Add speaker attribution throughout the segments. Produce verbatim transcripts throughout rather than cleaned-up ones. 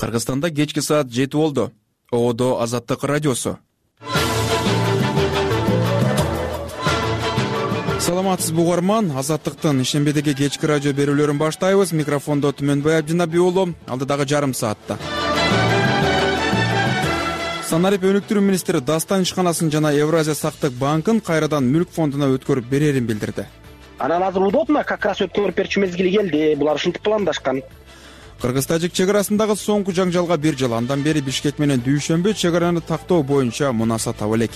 Speaker 1: Кыргызстанда кечки саат жети болду. Оодо Азаттык радиосу. Саламатсызбы угарман, Азаттыктын ишембедеги кечки радио берүүлөрүн баштайбыз. Микрофондо Түмөнбай Абдинаби уулу, алдыдагы жарым саатта. Санарип өнүктүрүү министри Дастан ишканасын жана Евразия сактык банкын кайрадан мүлк фондуна өткөрүп берерин билдирди.
Speaker 2: Анан азыр удобно, как раз өткөрүп берчү мезгили келди. Булар ушинтип пландашкан.
Speaker 1: Кыргыз-тажик чек арасындагы соңку жаңжалга бир жыл. Андан бери Бишкек менен Дүйшөмбү чек араны тактоо боюнча мунаса таба элек.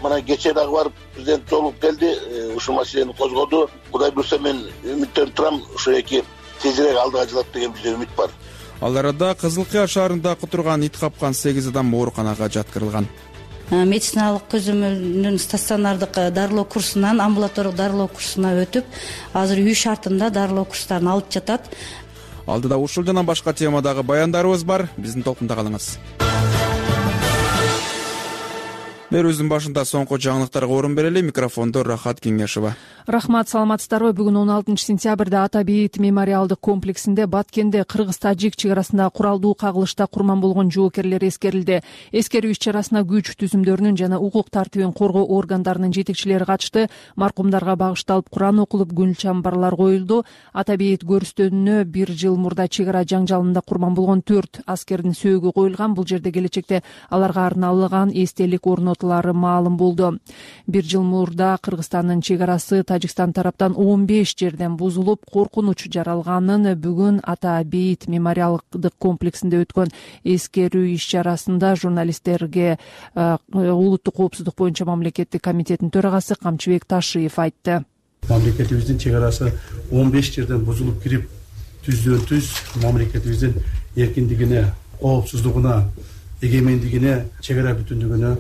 Speaker 3: Мына кечээ дагы барып президент жолугуп келди, ушул маселени козгоду. Кудай буюрса мен үмүттөнүп турам, ошо эки тезирээк алдыга жылат деген бизде үмүт бар.
Speaker 1: Ал арада Кызыл Кыя шаарында кутурган ит капкан сегиз адам ооруканага жаткырылган.
Speaker 4: Медициналык көзөмөлдүн стационардык дарылоо курсунан амбулаториялык дарылоо курсуна өтүп, азыр үй шартында дарылоо курстарын алып жатат.
Speaker 1: Алдыда ушул жана башка темадагы баяндарыбыз бар. Биздин толкунда калыңыз. Берүүбүздүн башында соңку жаңылыктарга орун берели. Микрофондо Рахат Кеңешова.
Speaker 5: Рахмат, саламатсыздарбы? Бүгүн он алтынчы сентябрда Ата бейит мемориалдык комплексинде Баткенде Кыргыз-Тажик чек арасында куралдуу кагылышта курман болгон жоокерлер эскерилди. Эскерүү иш-чарасына күч түзүмдөрүнүн жана укук тартибин коргоо органдарынын жетекчилери катышты. Маркумдарга багышталып Куран окулуп, гүл чамбарлар коюлду. Ата бейит көрүстөнүнө бир жыл мурда чек ара жаңжалында курман болгон төрт аскердин сөөгү коюлган. Бул жерде келечекте аларга арналган эстелик орнотулары маалым болду. Бир жыл мурда Кыргызстандын чек арасы Тажикстан тараптан он беш жерден бузулуп, коркунуч жаралганын бүгүн Ата бейит мемориалдык комплексинде өткөн эскерүү иш-чарасында журналисттерге улуттук коопсуздук боюнча мамлекеттик комитеттин төрагасы Камчыбек Ташиев айтты.
Speaker 6: Мамлекетибиздин чек арасы он беш жерден бузулуп кирип, түздөн түз мамлекетибиздин эркиндигине, коопсуздугуна, эгемендигине, чек ара бүтүндүгүнө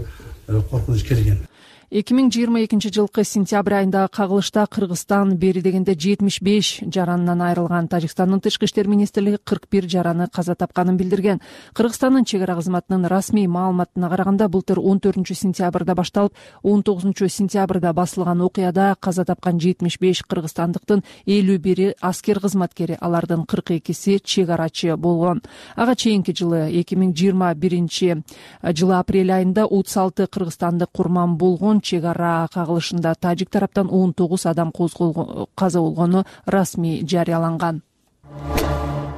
Speaker 6: коркунуч келген.
Speaker 5: эки миң жыйырма экинчи жылкы сентябрь айындагы кагылышта Кыргызстан бери дегенде жетимиш беш жаранынан айрылган. Тажикстандын тышкы иштер министрлиги кырк бир жараны каза тапканын билдирген. Кыргызстандын чек ара кызматынын расмий маалыматына караганда былтыр он төртүнчү сентябрда башталып, он тогузунчу сентябрда басылган окуяда каза тапкан жетимиш беш кыргызстандыктын элүү бири аскер кызматкери, алардын кырк экиси чек арачы болгон. Ага чейинки жылы эки миң жыйырма биринчи жылы апрель айында отуз алты кыргызстандык курман болгон чек ара кагылышында тажик тараптан он тогуз адам каза болгону расмий жарыяланган.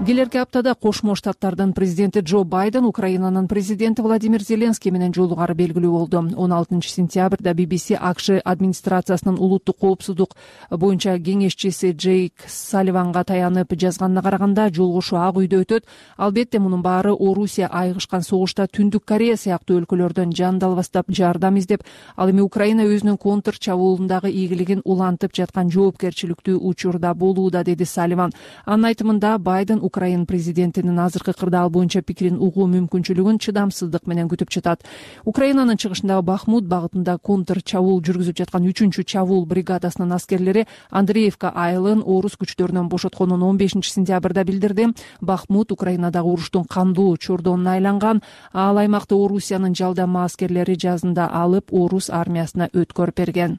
Speaker 5: Келерки аптада Кошмо Штаттардын президенти Джо Байден Украинанын президенти Владимир Зеленский менен жолугары белгилүү болду. он алтынчы сентябрда би би си АКШ администрациясынын улуттук коопсуздук боюнча кеңешчиси Джейк Салливанга таянып жазганына караганда, жолугушуу Ак үйдө өтөт. Албетте мунун баары Орусия айгышкан согушта Түндүк Корея сыяктуу өлкөлөрдөн жан далбастап жардам издеп, ал эми Украина өзүнүн контр чабуулундагы ийгилигин улантып жаткан жоопкерчиликтүү учурда болууда, деди Салливан. Анын айтымында Байден Украин президентинин азыркы кырдаал боюнча пикирин угуу мүмкүнчүлүгүн чыдамсыздык менен күтүп жатат. Украинанын чыгышындагы Бахмут багытында контр чабуул жүргүзүп жаткан үчүнчү чабуул бригадасынын аскерлери Андреевка айылын орус күчтөрүнөн бошотконун он бешинчи сентябрда билдирди. Бахмут Украинадагы уруштун кандуу чордонуна айланган. Ал аймакты Орусиянын жалдама аскерлери жазында алып, орус армиясына өткөрүп берген.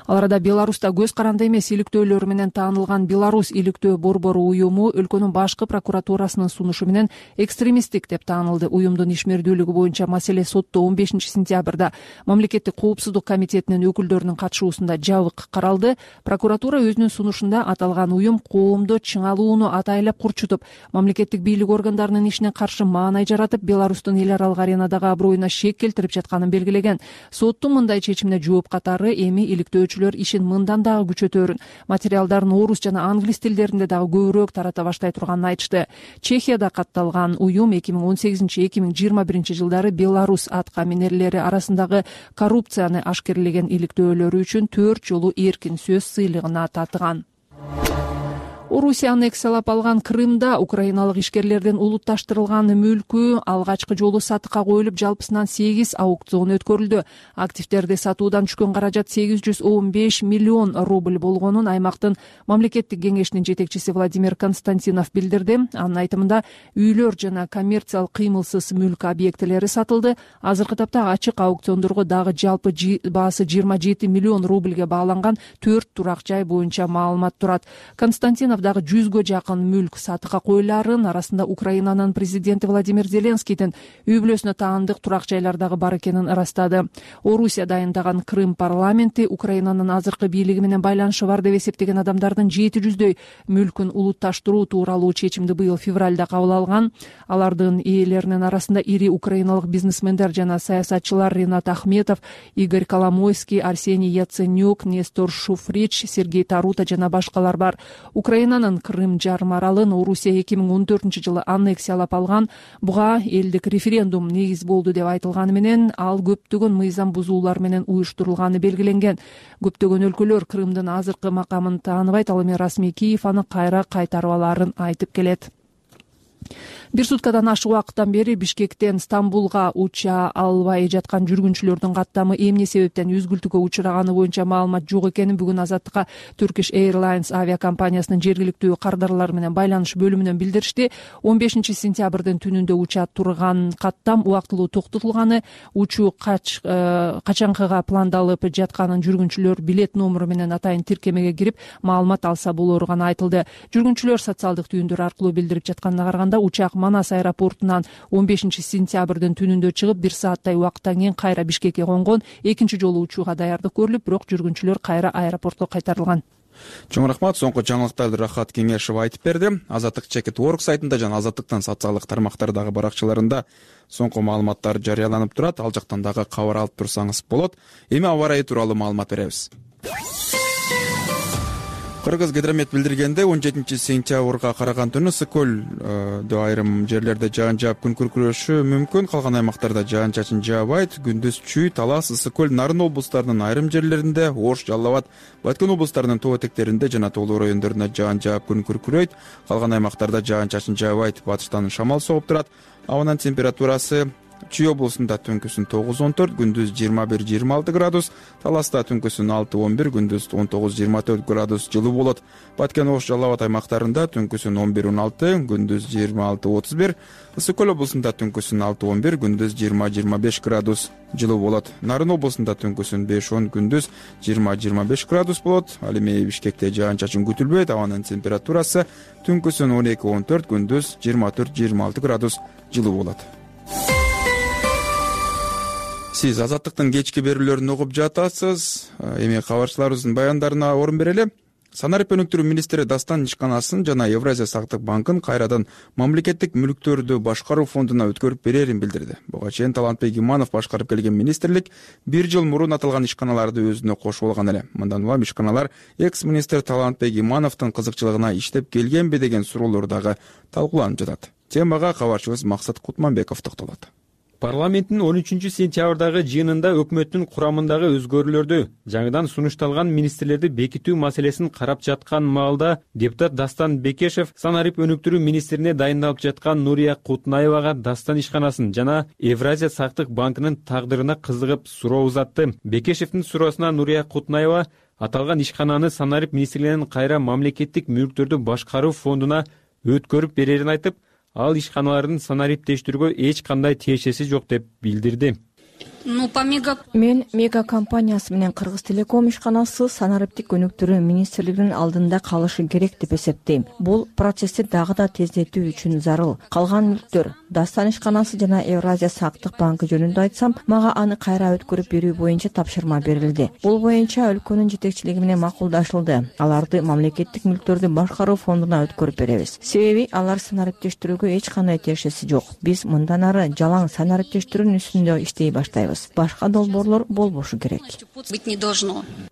Speaker 5: Ал арада Беларуста көз каранды эмес иликтөөлөр менен таанылган Беларусь иликтөө борбору уюму өлкөнүн башкы прокуратурасынын сунушу менен экстремисттик деп таанылды. Уюмдун ишмердүүлүгү боюнча маселе сотто он бешинчи сентябрда мамлекеттик коопсуздук комитетинин өкүлдөрүнүн катышуусунда жабык каралды. Прокуратура өзүнүн сунушунда аталган уюм коомдо чыңалууну атайлап курчутуп, мамлекеттик бийлик органдарынын ишине каршы маанай жаратып, Беларустун эл аралык аренадагы аброюна шек келтирип жатканын белгилеген. Соттун мындай чечимине жооп катары эми иликтөө ишин мындан дагы күчөтөрүн, материалдарын орус жана англис тилдеринде дагы көбүрөөк тарата баштай турганын айтышты. Чехияда катталган уюм эки миң он сегизинчи эки миң жыйырма биринчи жылдары Беларусь атка минерлери арасындагы коррупцияны ашкерлеген иликтөөлөрү үчүн төрт жолу эркин сөз сыйлыгына татыган. Орусия аннексиялап алган Крымда украиналык ишкерлердин улутташтырылган мүлкү алгачкы жолу сатыкка коюлуп, жалпысынан сегиз аукцион өткөрүлдү. Активдерди сатуудан түшкөн каражат сегиз жүз он беш миллион рубль болгонун аймактын мамлекеттик кеңешинин жетекчиси Владимир Константинов билдирди. Анын айтымында үйлөр жана коммерциялык кыймылсыз мүлк объектилери сатылды. Азыркы тапта ачык аукциондорго дагы жалпы баасы жыйырма жети миллион рубльге бааланган төрт турак жай боюнча маалымат турат. Константинов дагы жүзгө жакын мүлк сатыкка коюлаарын, арасында Украинанын президенти Владимир Зеленскийдин үй бүлөсүнө таандык турак жайлар дагы бар экенин ырастады. Орусия дайындаган Крым парламенти Украинанын азыркы бийлиги менен байланышы бар деп эсептеген адамдардын жети жүздөй мүлкүн улутташтыруу тууралуу чечимди быйыл февралда кабыл алган. Алардын ээлеринин арасында ири украиналык бизнесмендер жана саясатчылар Ринат Ахметов, Игорь Коломойский, Арсений Яценюк, Нестор Шуфрич, Сергей Тарута жана башкалар бар. Украинанын Крым жарым аралын Орусия эки миң он төртүнчү жылы аннексиялап алган. Буга элдик референдум негиз болду деп айтылганы менен ал көптөгөн мыйзам бузуулар менен уюштурулганы белгиленген. Көптөгөн өлкөлөр Крымдын азыркы макамын тааныбайт, ал эми расмий Киев аны кайра кайтарып алаарын айтып келет. Бир суткадан ашык убакыттан бери Бишкектен Стамбулга уча албай жаткан жүргүнчүлөрдүн каттамы эмне себептен үзгүлтүккө учураганы боюнча маалымат жок экенин бүгүн Азаттыкка Turkish Airlines авиакомпаниясынын жергиликтүү кардарлары менен байланыш бөлүмүнөн билдиришти. он бешинчи сентябрдын түнүндө уча турган каттам убактылуу токтотулганы, учуу кач качанкыга пландалып жатканын жүргүнчүлөр билет номуру менен атайын тиркемеге кирип маалымат алса болору гана айтылды. Жүргүнчүлөр социалдык түйүндөр аркылуу билдирип жатканына караганда учак Манас аэропортунан он бешинчи сентябрдын түнүндө чыгып, бир сааттай убакыттан кийин кайра Бишкекке конгон. Экинчи жолу учууга даярдык көрүлүп, бирок жүргүнчүлөр кайра аэропортко кайтарылган.
Speaker 1: Чоң рахмат. Соңку жаңылыктарды Рахат Кеңешов айтып берди. Азаттык чекит орг сайтында жана Азаттыктын социалдык тармактардагы баракчаларында соңку маалыматтар жарыяланып турат. Ал жактан дагы кабар алып турсаңыз болот. Эми аба ырайы тууралуу маалымат беребиз. Кыргыз гидромет билдиргенде он жетинчи сентябрга караган түнү ысык-көлдө айрым жерлерде жаан жаап күн күркүрөшү мүмкүн. Калган аймактарда жаан-чачын жаабайт. Күндүз Чүй, Талас, Ысык-көл, Нарын облустарынын айрым жерлеринде, Ош, Жалал Абад, Баткен облустарынын тоо этектеринде жана тоолуу райондорунда жаан жаап күн күркүрөйт. Калган аймактарда жаан-чачын жаабайт. Батыштан шамал согуп турат. Абанын температурасы Чүй облусунда түнкүсүн тогуз он төрт, күндүз жыйырма бир жыйырма алты градус, Таласта түнкүсүн алты он бир, күндүз он тогуз жыйырма төрт градус жылуу болот. Баткен, Ош, Жалал Абад аймактарында түнкүсүн он бир он алты, күндүз жыйырма алты отуз бир, Ысык-көл облусунда түнкүсүн алты он бир, күндүз жыйырма жыйырма беш градус жылуу болот. Нарын облусунда түнкүсүн беш он, күндүз жыйырма жыйырма беш градус болот. Ал эми Бишкекте жаан-чачын күтүлбөйт. Абанын температурасы түнкүсүн он эки он төрт, күндүз жыйырма төрт жыйырма алты градус жылуу болот. Сиз Азаттыктын кечки берүүлөрүн угуп жатасыз. Эми кабарчыларыбыздын баяндарына орун берели. Санарип өнүктүрүү министри Дастан ишканасын жана Евразия сактык банкын кайрадан мамлекеттик мүлктөрдү башкаруу фондуна өткөрүп берерин билдирди. Буга чейин Талантбек Иманов башкарып келген министрлик бир жыл мурун аталган ишканаларды өзүнө кошуп алган эле. Мындан улам ишканалар экс-министр Талантбек Имановдун кызыкчылыгына иштеп келгенби деген суроолор дагы талкууланып жатат. Темага кабарчыбыз Максат Кутманбеков токтолот.
Speaker 7: Парламенттин он үчүнчү сентябрдагы жыйынында өкмөттүн курамындагы өзгөрүүлөрдү, жаңыдан сунушталган министрлерди бекитүү маселесин карап жаткан маалда депутат Дастан Бекешев санарип өнүктүрүү министрине дайындалып жаткан Нурия Кутнаевага Дастан ишканасын жана Евразия сактык банкынын тагдырына кызыгып суроо узатты. Бекешевдин суроосуна Нурия Кутнаева аталган ишкананы санарип министрлигинин кайра мамлекеттик мүлктөрдү башкаруу фондуна өткөрүп берерин айтып, ал ишканалардын санариптештирүүгө эч кандай тиешеси жок деп билдирди.
Speaker 8: Мен мега компаниясы менен Кыргыз Телеком ишканасы санариптик өнүктүрүү министрлигинин алдында калышы керек деп эсептейм. Бул процессти дагы да тездетүү үчүн зарыл. Калган мүлктөр Дастан ишканасы жана Евразия сактык банкы жөнүндө айтсам, мага аны кайра өткөрүп берүү боюнча тапшырма берилди. Бул боюнча өлкөнүн жетекчилиги менен макулдашылды. Аларды мамлекеттик мүлктөрдү башкаруу фондуна өткөрүп беребиз. Себеби алар санариптештирүүгө эч кандай тиешеси жок. Биз мындан ары жалаң санариптештирүүнүн үстүндө иштей баштайбыз. Башка долбоорлор болбошу керек.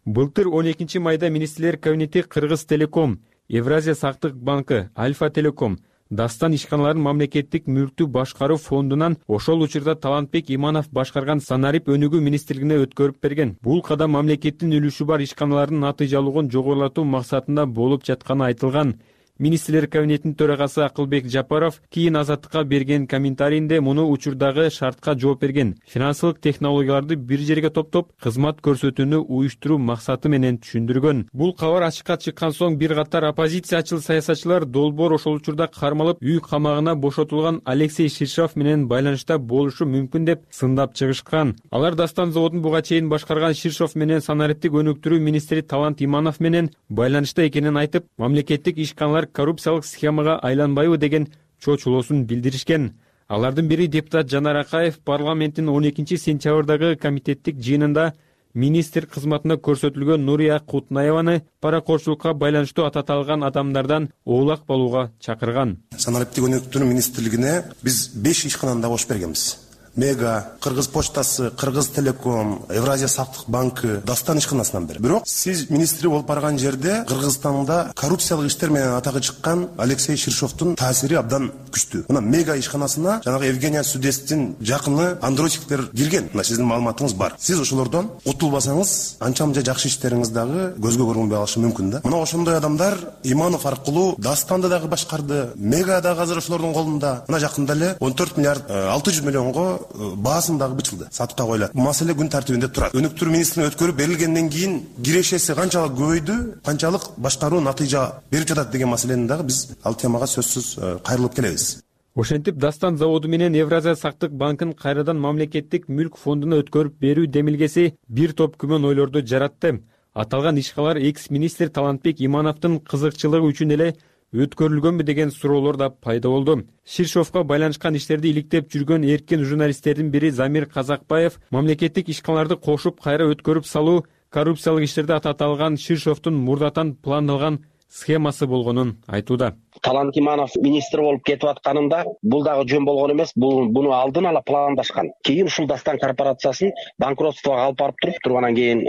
Speaker 7: Былтыр он экинчи майда министрлер кабинети Кыргыз Телеком, Евразия сактык банкы, Альфа Телеком, Дастан ишканаларын мамлекеттик мүлктү башкаруу фондунан ошол учурда Талантбек Иманов башкарган санарип өнүгүү министрлигине өткөрүп берген. Бул кадам мамлекеттин үлүшү бар ишканалардын натыйжалуулугун жогорулатуу максатында болуп жатканы айтылган. Министрлер кабинетинин төрагасы Акылбек Жапаров кийин Азаттыкка берген комментарийинде муну учурдагы шартка жооп берген. Финансылык технологияларды бир жерге топтоп, кызмат көрсөтүүнү уюштуруу максаты менен түшүндүргөн. Бул кабар ачыкка чыккан соң бир катар оппозициячыл саясатчылар долбоор ошол учурда кармалып, үй камагына бошотулган Алексей Ширшов менен байланышта болушу мүмкүн деп сындап чыгышкан. Алар Дастан заводун буга чейин башкарган Ширшов менен санариптик өнүктүрүү министри Талант Иманов менен байланышта экенин айтып, мамлекеттик ишканалар коррупциялык схемага айланбайбы деген чочулоосун билдиришкен. Алардын бири депутат Жанар Акаев парламенттин он экинчи сентябрдагы комитеттик жыйынында министр кызматына көрсөтүлгөн Нурия Кутнаеваны паракорчулукка байланыштуу ататалган адамдардан оолак болууга чакырган.
Speaker 9: Санариптик өнүктүрүү министрлигине биз беш ишкананы да бош бергенбиз. Мега, Кыргыз почтасы, Кыргыз телеком, Евразия сактык банкы, Дастан ишканасынан бери. Бирок сиз министри болуп барган жерде Кыргызстанда коррупциялык иштер менен атагы чыккан Алексей Ширшовдун таасири абдан күчтүү. Мына Мега ишканасына жанагы Евгения Судестин жакыны андроичтер кирген. Мына сиздин маалыматыңыз бар. Сиз ошолордон утулбасаңыз, анча-мынча жакшы иштериңиз дагы көзгө көрүнбөй калышы мүмкүн да. Мына ошондой адамдар Иманов аркылуу Дастанды дагы башкарды, Мега дагы азыр ошолордун колунда. Мына жакында эле он төрт миллиард алты жүз миллионго баасын дагы бычылды, сатыкка коюлат. Маселе күн тартибинде турат. Өнүктүрүү министринин өткөрүп берилгенден кийин кирешеси канчалык көбөйдү, канчалык башкаруу натыйжа берип жатат деген маселени дагы биз ал темага сөзсүз кайрылып келебиз.
Speaker 7: Ошентип Дастан заводу менен Евразия сактык банкын кайрадан мамлекеттик мүлк фондуна өткөрүп берүү демилгеси бир топ күмөн ойлорду жаратты. Аталган ишкалар экс-министр Талантбек Имановдун кызыкчылыгы үчүн эле өткөрүлгөнбү деген суроолор да пайда болду. Ширшовго байланышкан иштерди иликтеп жүргөн эркин журналисттердин бири Замир Казакбаев мамлекеттик ишканаларды кошуп кайра өткөрүп салуу коррупциялык иштерди ататалган Ширшовдун мурдатан пландалган схемасы болгонун айтууда.
Speaker 2: Талант Иманов министр болуп кетип атканында бул дагы жөн болгон эмес, бул буну алдын ала пландашкан. Кийин ушул Дастан корпорациясын банкротствого алып барып туруп, тургандан кийин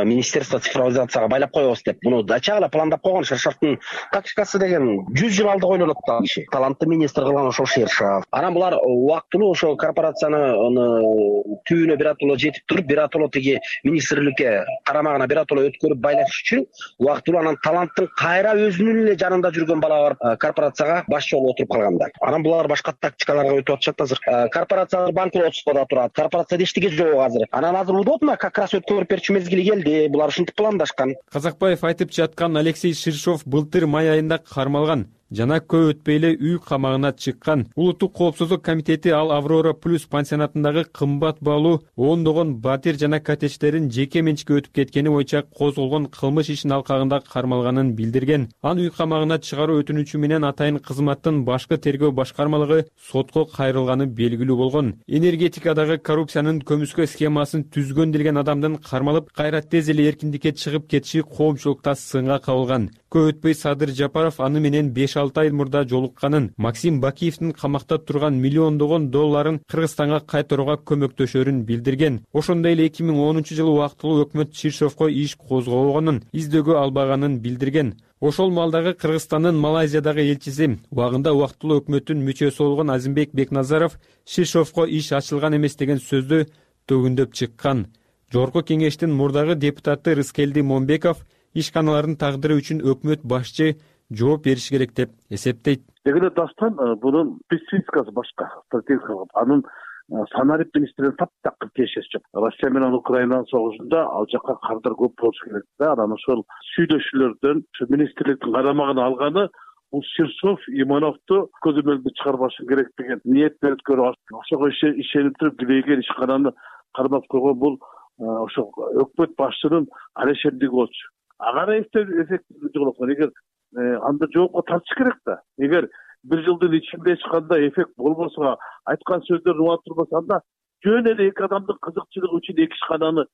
Speaker 2: министерство цифровизацияга байлап коебуз деп, буну ачык эле пландап койгон. Ширшовдун тактикасы деген жүз жыл алды ойлонот да киши. Талантты министр кылган ошол Ширшов. Анан булар убактылуу ошол корпорацияны түбүнө биротоло жетип туруп, биротоло тиги министрликке карамагына биротоло өткөрүп байлаш үчүн убактылуу анан Таланттын кайра өзүнүн эле жанында жүргөн бала бар корпорацияга башчы болуп отуруп калгандар. Анан булар башка тактикаларга өтүп атышат азыр. Корпорациялар банкротствода турат. Корпорацияда эчтеке жок азыр. Анан азыр удобно как раз өткөрүп берчү мезгили келди. Булар ушинтип пландашкан.
Speaker 7: Казакбаев айтып жаткан Алексей Ширшов былтыр май айында кармалган. Жана көп өтпөй эле үй камагына чыккан. Улуттук коопсуздук комитети ал Аврора Плюс пансионатындагы кымбат баалуу ондогон батир жана коттедждерин жеке менчикке өтүп кеткени боюнча козголгон кылмыш ишинин алкагында кармалганын билдирген. Аны үй камагына чыгаруу өтүнүчү менен атайын кызматтын башкы тергөө башкармалыгы сотко кайрылганы белгилүү болгон. Энергетикадагы коррупциянын көмүскө схемасын түзгөн делген адамдын кармалып, кайра тез эле эркиндикке чыгып кетиши коомчулукта сынга кабылган. Көп өтпөй Садыр Жапаров аны менен беш алты ай мурда жолукканын, Максим Бакиевдин камакта турган миллиондогон долларын Кыргызстанга кайтарууга көмөктөшөрүн билдирген. Ошондой эле эки миң онунчу жылы убактылуу өкмөт Ширшовго иш козгобогонун, издөөгө албаганын билдирген. Ошол маалдагы Кыргызстандын Малайзиядагы элчиси, убагында убактылуу өкмөттүн мүчөсү болгон Азимбек Бекназаров Ширшовго иш ачылган эмес деген сөздү төгүндөп чыккан. Жогорку кеңештин мурдагы депутаты Рыскелди Момбеков ишканалардын тагдыры үчүн өкмөт башчы жооп бериш керек деп эсептейт.
Speaker 10: Эгерде Дастан бунун спецификасы башка, стратегиялык. Анын санарип министринин таптакыр тиешеси жок. Россия менен Украинанын согушунда ал жакка кардар көп болушу керек да. Анан ошол сүйдөшүүлөрдөн ушу министрликтин карамагына алганы бул Ширшов Имановду көзөмөлдө чыгарбашы керек деген ниет өткөрүп, ошого ишенип туруп билеген ишкананы кармап койгон бул ошол өкмөт башчынын арешендиги болчу. Ага эффективдүү жолокон. Эгер анда жоопко тартыш керек да. Эгер бир жылдын ичинде эч кандай эффект болбосо, айткан сөздөрүн уга турбаса, анда жөн эле эки адамдын кызыкчылыгы үчүн эки ишкананы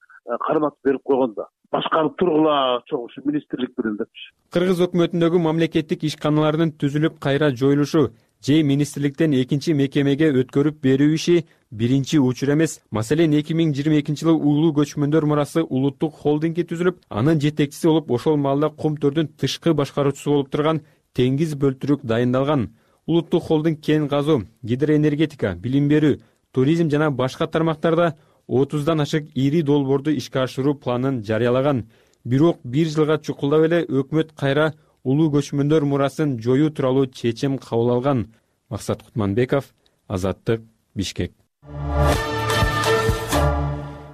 Speaker 10: карматып берип койгон да. Башкарып тургула чоң ушу министрлик менен депчи.
Speaker 7: Кыргыз өкмөтүндөгү мамлекеттик ишканалардын түзүлүп кайра жоюлушу же министрликтен экинчи мекемеге өткөрүп берүү иши биринчи учур эмес. Маселен, эки миң жыйырма экинчи жылы Улуу көчмөндөр мурасы улуттук холдинги түзүлүп, анын жетекчиси болуп, ошол маалда Кум төрдүн тышкы башкаруучусу болуп турган Теңиз Бөлтүрүк дайындалган. Улуттук холдинг кен казуу, гидроэнергетика, билим берүү, туризм жана башка тармактарда отуздан ашык ири долбоорду ишке ашыруу планын жарыялаган. Бирок бир жылга чукулдап эле өкмөт кайра улуу көчмөндөр мурасын жоюу тууралуу чечим кабыл алган. Максат Кутманбеков, Азаттык, Бишкек.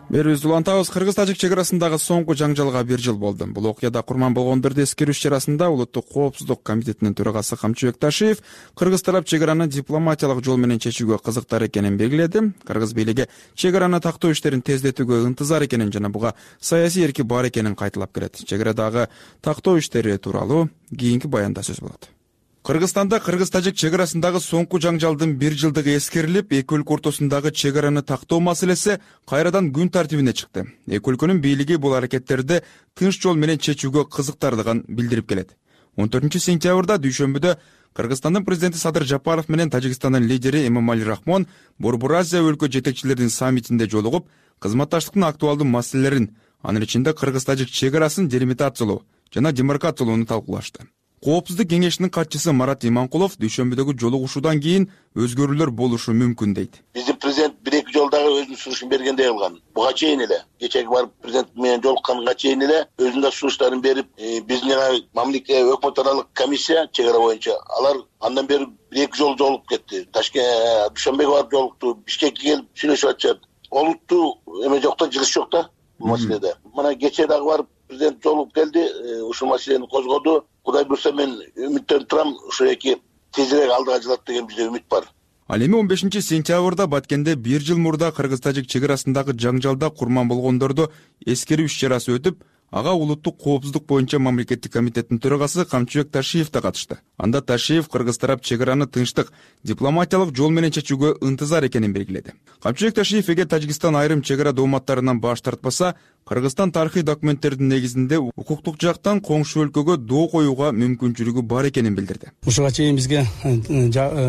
Speaker 1: Берүүбүздү улантабыз. Кыргыз-тажик чек арасындагы соңку жаңжалга бир жыл болду. Бул окуяда курман болгондорду эскерүү иш-чарасында Улуттук коопсуздук комитетинин төрагасы Камчыбек Ташиев кыргыз тарап чек араны дипломатиялык жол менен чечүүгө кызыктар экенин белгиледи. Кыргыз бийлиги чек араны тактоо иштерин тездетүүгө ынтызар экенин жана буга саясий эрки бар экенин кайталап келет. Чек арадагы тактоо иштери тууралуу кийинки баянда сөз болот. Кыргызстанда кыргыз-тажик чек арасындагы соңку жаңжалдын бир жылдыгы эскерилип, эки өлкө ортосундагы чек араны тактоо маселеси кайрадан күн тартибине чыкты. Эки өлкөнүн бийлиги бул аракеттерди тынч жол менен чечүүгө кызыктардыгын билдирип келет. он төртүнчү сентябрда дүйшөмбүдө Кыргызстандын президенти Садыр Жапаров менен Тажикстандын лидери Эмомали Рахмон Борбор Азия өлкө жетекчилеринин саммитинде жолугуп, кызматташтыктын актуалдуу маселелерин, анын ичинде кыргыз-тажик чек арасын делимитациялоо жана демаркациялоону талкуулашты. Коопсуздук кеңешинин катчысы Марат Иманкулов дүйшөмбүдөгү жолугушуудан кийин өзгөрүүлөр болушу мүмкүн дейт.
Speaker 3: Биздин президент бир эки жолдагы өзүнүн сунушун бергендей кылган. Буга чейин эле кечеги барып президент менен жолукканга чейин эле өзүнүн да сунуштарын берип, биздин мамлекет өкмөт аралык комиссия чек ара боюнча алар андан бери бир эки жолу жолугуп кетти. Ташкент Дүйшөмбөгө барып жолукту, Бишкекке келип сүйлөшүп атышат. Олуттуу эме жок да, жылыш жок да бул маселеде. Мына кечээ дагы барып президент жолугуп келди, ушул маселени козгоду. Кудай буюрса мен үмүттөнүп турам, ушул эки тезирээк алдыга жылат деген бизде үмүт бар.
Speaker 1: Ал эми он бешинчи сентябрда Баткенде бир жыл мурда кыргыз-тажик чек арасындагы жаңжалда курман болгондорду эскерүү иш-чарасы өтүп, ага Улуттук коопсуздук боюнча мамлекеттик комитеттин төрагасы Камчыбек Ташиев да катышты. Анда Ташиев кыргыз тарап чек араны тынчтык, дипломатиялык жол менен чечүүгө ынтызар экенин белгиледи. Камчыбек Ташиев эгер Тажикстан айрым чек ара дооматтарынан баш тартпаса, Кыргызстан тарыхый документтердин негизинде укуктук жактан коңшу өлкөгө доо коюуга мүмкүнчүлүгү бар экенин билдирди.
Speaker 6: Ушуга чейин бизге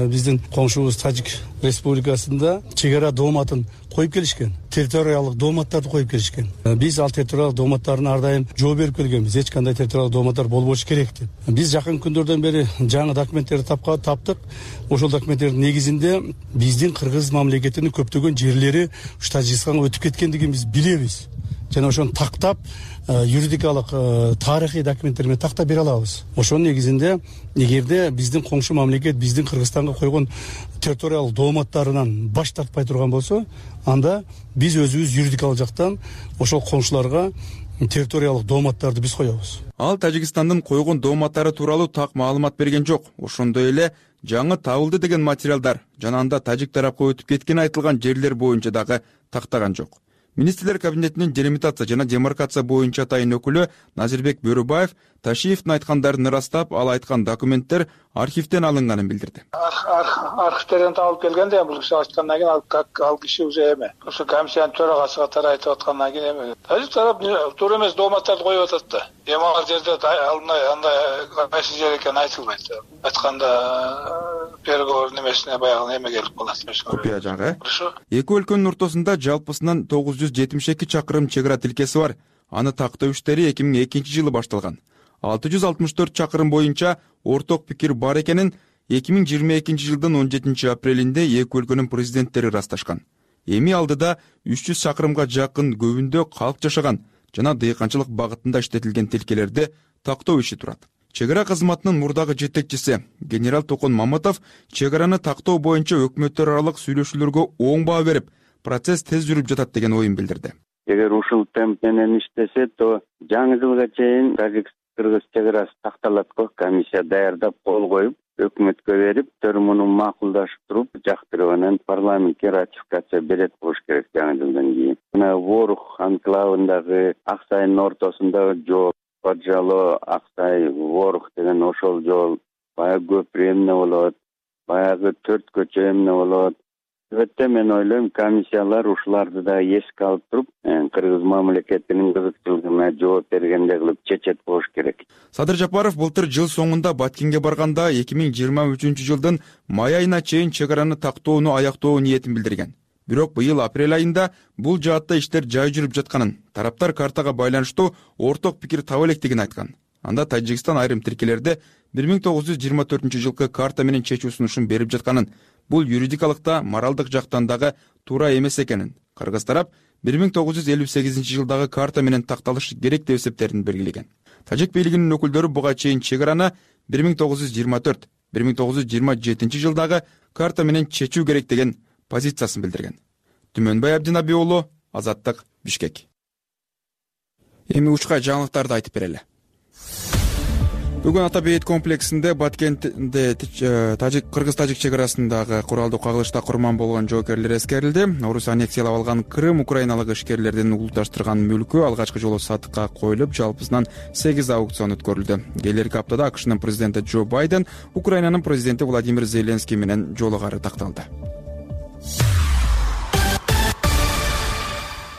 Speaker 6: биздин коңшубуз Тажик Республикасында чек ара дооматын коюп келишкен, территориялык дооматтарды коюп келишкен. Биз ал территориялык дооматтарын ар дайым жооп берип келгенбиз. Эч кандай территориялык дооматтар болбошу керек деп. Биз жакын күндөрдөн бери жаңы документтерди таптык. Ошол документтердин негизинде биздин кыргыз мамлекетинин көптөгөн жерлери ушу Тажикстанга өтүп кеткендигин биз билебиз. Жана ошону тактап, юридикалык, тарыхый документтер менен тактап бере алабыз. Ошонун негизинде эгерде биздин коңшу мамлекет биздин Кыргызстанга койгон территориялык дооматтарынан баш тартпай турган болсо, анда биз өзүбүз юридикалык жактан ошол коңшуларга территориялык дооматтарды биз коебуз.
Speaker 1: Ал Тажикстандын койгон дооматтары тууралуу так маалымат берген жок. Ошондой эле жаңы табылды деген материалдар жана анда тажик тарапка өтүп кеткен айтылган жерлер боюнча дагы тактаган жок. Министрлер кабинетинин делимитация жана демаркация боюнча атайын өкүлү Назирбек Бөрөбаев Ташиевдин айткандарын ырастап, ал айткан документтер архивден алынганын билдирди.
Speaker 11: Архивден табылып келгенде бул киши айткандан кийин ал киши уже эме, ошо комиссиянын төрагасы катары айтып аткандан кийин эме. Тажик тарап туура эмес дооматтарды коюп атат да. Эми ал жерде андай кайсы жер экени айтылбайт. Айтканда переговор немесине баягы эме келип калат.
Speaker 1: Копия жаңы. Эки өлкөнүн ортосунда жалпысынан тогуз жүз жетимиш эки чакырым чек ара тилкеси бар. Аны тактоо иштери эки миң экинчи жылы башталган. алты жүз алтымыш төрт чакырым боюнча орток пикир бар экенин эки миң жыйырма экинчи жылдын он жетинчи апрелинде эки өлкөнүн президенттери ырасташкан. Эми алдыда үч жүз чакырымга жакын көбүндө калк жашаган жана дыйканчылык багытында иштетилген тилкелерди тактоо иши турат. Чек ара кызматынын мурдагы жетекчиси генерал Токон Маматов чек араны тактоо боюнча өкмөттөр аралык сүйлөшүүлөргө оң баа берип, процесс тез жүрүп жатат деген оюн билдирди.
Speaker 12: Эгер ушул темп менен иштесе, то жаңы жылга чейин Тажик-Кыргыз чек арасы такталат го. Комиссия даярдап кол коюп, өкмөткө берип, төр муну макулдашып туруп, жактырып анан парламентке ратификация берет болуш керек жаңы жылдан кийин. Мына Ворух анклавындагы Аксайдын ортосундагы жол, Поджало Аксай Ворух деген ошол жол баягы көпүрө эмне болот, баягы төрт көчө эмне болот. Өтө мен ойлойм, комиссиялар ушуларды да эске алып туруп, Кыргыз мамлекетинин кызыкчылыгына жооп бергендей кылып чечет болуш керек.
Speaker 1: Садыр Жапаров былтыр жыл соңунда Баткенге барганда эки миң жыйырма үчүнчү жылдын май айына чейин чек араны тактоону аяктоо ниетин билдирген. Бирок быйыл апрель айында бул жаатта иштер жай жүрүп жатканын, тараптар картага байланыштуу орток пикир таба электигин айткан. Анда Тажикстан айрым тилкелерде бир миң тогуз жүз жыйырма төртүнчү жылкы карта менен чечүү сунушун берип жатканын, бул юридикалыкта, моралдык жактан дагы туура эмес экенин, кыргыз тарап бир миң тогуз жүз элүү сегизинчи жылдагы карта менен такталышы керек деп эсептерин белгилеген. Тажик бийлигинин өкүлдөрү буга чейин чек араны бир миң тогуз жүз жыйырма төрт бир миң тогуз жүз жыйырма жетинчи жылдагы карта менен чечүү керек деген позициясын билдирген. Түмөнбай Абдинаби уулу, Азаттык, Бишкек. Эми учка жаңылыктарды айтып берели. Бүгүн Ата бейит комплексинде Баткентте Кыргыз-Тажик чек арасындагы куралдуу кагылышта курман болгон жоокерлер эскерилди. Орус аннексиялап алган Крым украиналык ишкерлердин улутташтырган мүлкү алгачкы жолу сатыкка коюлуп, жалпысынан сегиз аукцион өткөрүлдү. Келерки аптада АКШнын президенти Джо Байден Украинанын президенти Владимир Зеленский менен жолугары такталды.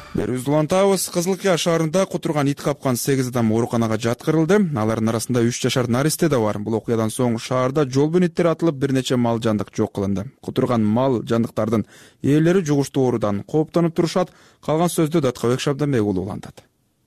Speaker 1: Берүүбүздү улантабыз. Кызылкыя шаарында кутурган ит капкан сегиз адам ооруканага жаткырылды. Алардын арасында үч жашар наристе да бар. Бул окуядан соң шаарда жол бөйнөттөр атылып, бир нече мал жандык жок кылынды. Кутурган мал жандыктардын ээлери жугуштуу оорудан кооптонуп турушат. Калган сөздү Даткабек Шабданбек уулу улантат.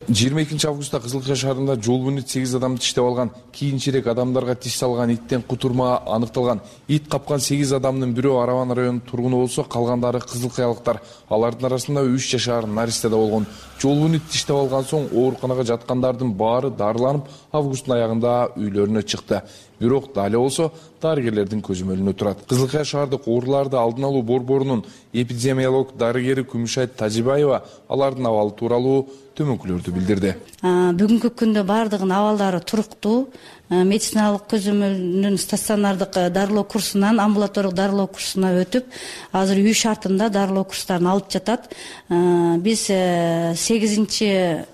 Speaker 13: жыйырма экинчи августта Кызылкыя шаарында жол бөйнөт сегиз адамды тиштеп алган, кийинчерээк адамдарга тиш салган иттен кутурма аныкталган. Ит капкан сегиз адамдын бирөө Араван районунун тургуну болсо, калгандары кызылкыялыктар. Алардын арасында үч жашар наристе да болгон. Жол бөйнөт тиштеп алган соң ооруканага жаткандардын баары дарыланып, августтун аягында үйлөрүнө чыкты. Бирок дале болсо дарыгерлердин көзөмөлүнө турат. Кызылкыя шаардык ооруларды алдын алуу борборунун эпидемиолог дарыгери Күмүшайт Тажибаева алардын абалы тууралуу төмөнкүлөрдү билдирди.
Speaker 4: Бүгүнкү күндө бардыгынын абалдары туруктуу. Медициналык көзөмөлүнүн стационардык дарылоо курсунан амбулаториялык дарылоо курсуна өтүп, азыр үй шартында дарылоо курстарын алып жатат. Биз сегизинчи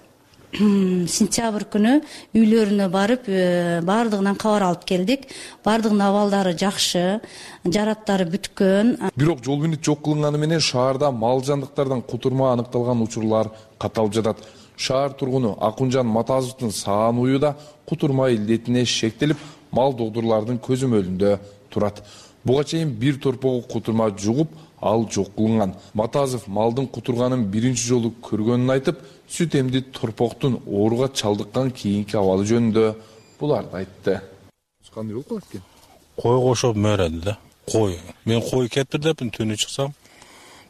Speaker 4: сентябрь күнү үйлөрүнө барып, бардыгынан кабар алып келдик. Бардыгынын абалдары жакшы, жараттары бүткөн.
Speaker 13: Бирок жол бөйнөт жок кылынганы менен шаарда мал жандыктардан кутурма аныкталган учурлар каталып жатат. Шаар тургуну Акунжан Матазовдун саан уюу да кутурма илдетине шектелип, мал докторлордун көзөмөлүндө турат. Буга чейин бир торпогу кутурма жугуп, ал жок кылынган. Матазов малдын кутурганын биринчи жолу көргөнүн айтып, сүт эмди торпоктун ооруга чалдыккан кийинки абалы жөнүндө буларды айтты. Кандай болуп калат экен?
Speaker 14: Кой кошоп мөрөдү да. Кой. Мен кой кетирдепмин, түнү чыксам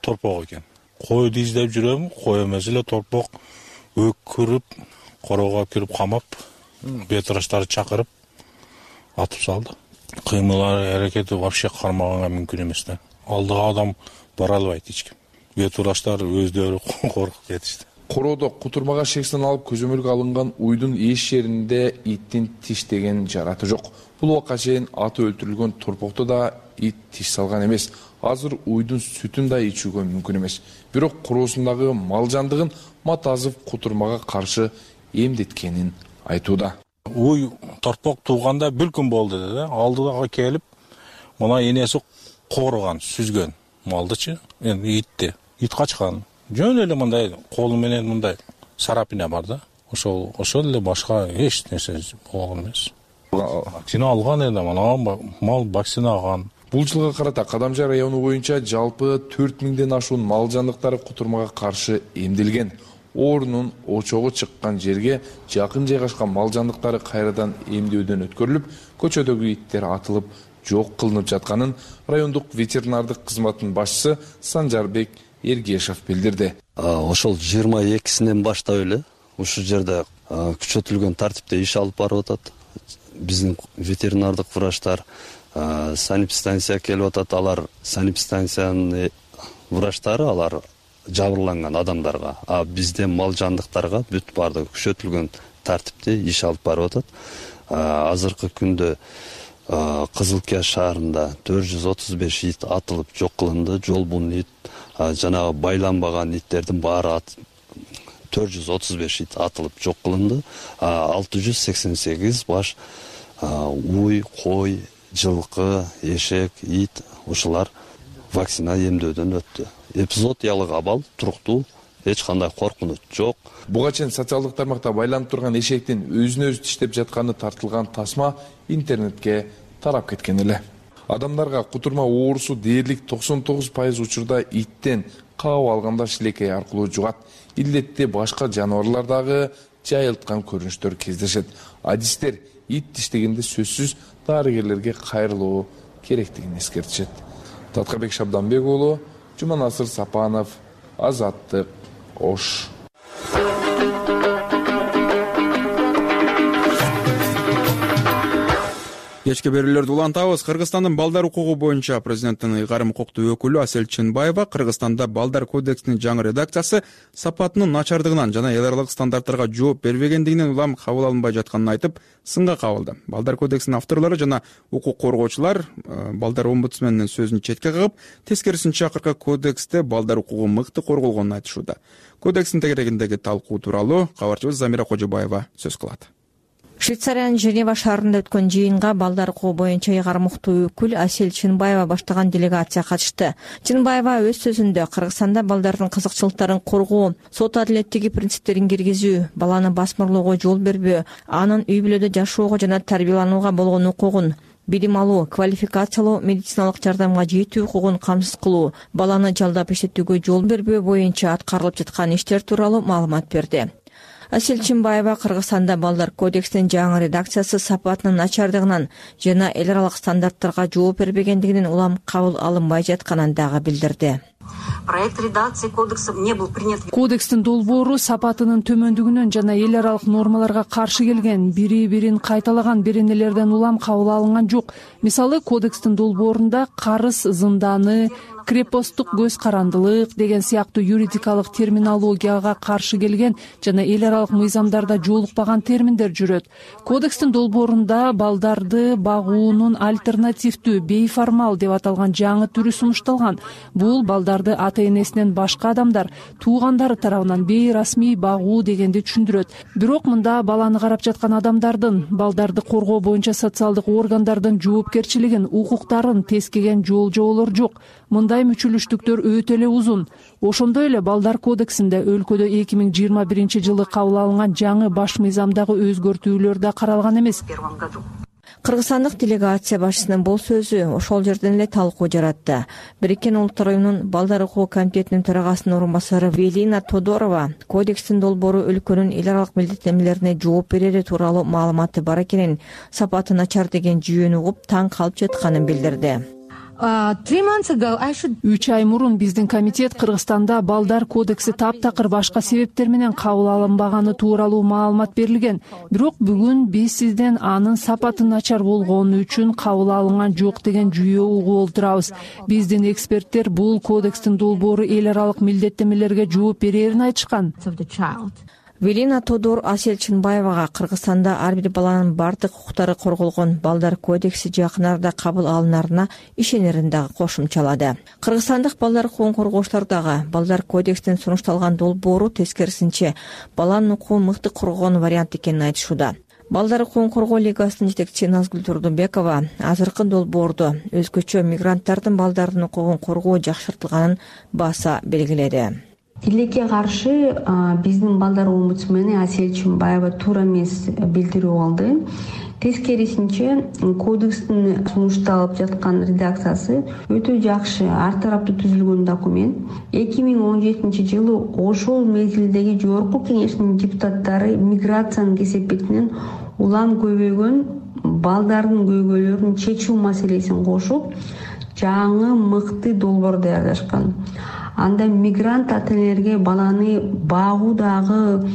Speaker 14: торпок экен. Койду издеп жүрөм, кой эмес эле торпок өкүрүп, короого кирип камап, бетраштарды чакырып атып салды. Кыймылары, аракети вообще кармаганга мүмкүн эмес да. Алдыга адам бара албайт эч ким. Бетураштар өздөрү коркуп кетишти.
Speaker 13: Короодо кутурмага шексин алып көзөмөлгө алынган уйдун эш жеринде иттин тиштеген жараты жок. Бул убакка чейин аты өлтүрүлгөн торпокто да ит тиш салган эмес. Азыр уйдун сүтүн да ичүүгө мүмкүн эмес. Бирок короосундагы мал жандыгын Матазов кутурмага каршы эмдеткенин айтууда.
Speaker 14: Уй торпок тууганда бир күн болду да. Алдыга келип, мына энеси корган, сүзгөн малдычы, эми итти. Ит качкан. Жөн эле мындай колу менен мындай сарапина бар да. Ошол ошол эле башка эч нерсе болгон эмес. Вакцина алган эле, мына мал вакцина алган.
Speaker 13: Бул жылга карата Кадамжай району боюнча жалпы төрт миңден ашуун мал жандыктары кутурмага каршы эмдилген. Оорунун очогу чыккан жерге жакын жайгашкан мал жандыктары кайрадан эмдөөдөн өткөрүлүп, көчөдөгү иттер атылып жок кылынып жатканын райондук ветеринардык кызматтын башчысы Санжарбек Эргешев билдирди.
Speaker 15: Ошол жыйырма экисинен баштап эле ушул жерде күчөтүлгөн тартипте иш алып барып атат. Биздин ветеринардык врачтар санэпидстанция келип атат. Алар санэпидстанциянын врачтары алар жабырланган адамдарга, а бизде мал жандыктарга бүт бардыгы күчөтүлгөн тартипте иш алып барып атат. Азыркы күндө Кызылкыя шаарында төрт жүз отуз беш ит атылып жок кылынды. Жолбун ит, жанагы байланбаган иттердин баары төрт жүз отуз беш ит атылып жок кылынды. алты жүз сексен сегиз баш уй, кой, жылкы, эшек, ит ушулар вакцина эмдөөдөн өттү. Эпизодиялык абал туруктуу, эч кандай коркунуч жок.
Speaker 13: Буга чейин социалдык тармакта байланып турган эшектин өзүнө өзү тиштеп жатканы тартылган тасма интернетке тарап кеткен эле. Адамдарга кутурма оорусу дээрлик токсон тогуз пайыз учурда иттен, кабап алганда шилекей аркылуу жугат. Илдетти башка жаныбарлар дагы жайылткан көрүнүштөр кездешет. Адистер ит тиштегенде сөзсүз дарыгерлерге кайрылуу керектигин эскертишет. Таткабек Шабданбек уулу, Жуманасыр Сапанов, Азаттык, Ош.
Speaker 1: кечки берүүлөрдү улантабыз. Кыргызстандын балдар укугу боюнча президенттин ыйгарым укуктуу өкүлү Асель Чынбаева Кыргызстанда балдар кодексинин жаңы редакциясы сапатынын начардыгынан жана эл аралык стандарттарга жооп бербегендигинен улам кабыл алынбай жатканын айтып, сынга кабылды. Балдар кодексинин авторлору жана укук коргоочулар балдар омбудсменинин сөзүн четке кагып, тескерисинче акыркы кодексте балдар укугу мыкты корголгонун айтышууда. Кодекстин тегерегиндеги талкуу тууралуу кабарчыбыз Замира Кожобаева сөз кылат.
Speaker 8: Швейцариянын Женева шаарында өткөн жыйынга балдар укугу боюнча ыйгарым укуктуу өкүл Асель Чынбаева баштаган делегация катышты. Чынбаева өз сөзүндө Кыргызстанда балдардын кызыкчылыктарын коргоо, сот адилеттиги принциптерин киргизүү, баланы басмырлоого жол бербөө, анын үй бүлөдө жашоого жана тарбияланууга болгон укугун, билим алуу, квалификациялуу, медициналык жардамга жетүү укугун камсыз кылуу, баланы жалдап иштетүүгө жол бербөө боюнча аткарылып жаткан иштер тууралуу маалымат берди. Асель Чынбаева Кыргызстанда балдар кодексинин жаңы редакциясы сапатынын начардыгынан жана эл аралык стандарттарга жооп бербегендигинен улам кабыл алынбай жатканын дагы билдирди.
Speaker 16: Проект редакции кодекса не был принят.
Speaker 5: Кодекстин долбоору сапатынын төмөндүгүнөн жана эл аралык нормаларга каршы келген, бири-бирин кайталаган беренелерден улам кабыл алынган жок. Мисалы, кодекстин долбоорунда карыз зынданы, крепосттук көз карандылык деген сыяктуу юридикалык терминологияга каршы келген жана эл аралык мыйзамдарда жолукпаган терминдер жүрөт. Кодекстин долбоорунда балдарды багуунун альтернативдүү, бейформал деп аталган жаңы түрү сунушталган. Бул балдарды ата-энесинен башка адамдар, туугандары тарабынан бейрасмий багуу дегенди түшүндүрөт. Бирок мында баланы карап жаткан адамдардын, балдарды коргоо боюнча социалдык органдардын жоопкерчилигин, укуктарын тескеген жол-жоболор жок. Мындай мүчүлүштүктөр өтө эле узун. Ошондой эле балдар кодексинде өлкөдө эки миң жыйырма биринчи жылы кабыл алынган жаңы баш мыйзамдагы өзгөртүүлөр да каралган эмес.
Speaker 8: Кыргызстандык делегация башчысынын бул сөзү ошол жерден эле талкуу жаратты. Бириккен Улуттар уюмунун балдар укугу комитетинин төрагасынын орун басары Велина Тодорова кодекстин долбоору өлкөнүн эл аралык милдеттенмелерине жооп берери тууралуу маалыматы бар экенин, сапаты начар деген жүйөнү угуп таң калып жатканын билдирди.
Speaker 5: Үч ай мурун биздин комитет Кыргызстанда балдар кодекси таптакыр башка себептер менен кабыл алынбаганы тууралуу маалымат берилген. Бирок бүгүн биз сизден анын сапаты начар болгону үчүн кабыл алынган жок деген жүйө угуп олтурабыз. Биздин эксперттер бул кодекстин долбоору эл аралык милдеттенмелерге жооп берерин айтышкан.
Speaker 8: Велина Тодор Асель Чынбаевага Кыргызстанда ар бир баланын бардык укуктары корголгон балдар кодекси жакын арада кабыл алынарына ишенерин дагы кошумчалады. Кыргызстандык балдар укугун коргоочулар дагы балдар кодексинин сунушталган долбоору тескерисинче баланын укугун мыкты коргогон вариант экенин айтышууда. Балдар укугун коргоо лигасынын жетекчиси Назгүл Турдубекова азыркы долбоордо өзгөчө мигранттардын балдардын укугун коргоо жакшыртылганын баса белгиледи.
Speaker 17: Тилекке каршы биздин балдар омбудсмени Асель Чынбаева туура эмес билдирүү алды. Тескерисинче кодекстин сунушталып жаткан редакциясы өтө жакшы, ар тараптуу түзүлгөн документ. эки миң он жетинчи жылы ошол мезгилдеги жогорку кеңештин депутаттары миграциянын кесепетинен улам көбөйгөн балдардын көйгөйлөрүн чечүү маселесин кошуп, жаңы мыкты долбоор даярдашкан. Анда мигрант ата-энелерге баланы багуудагы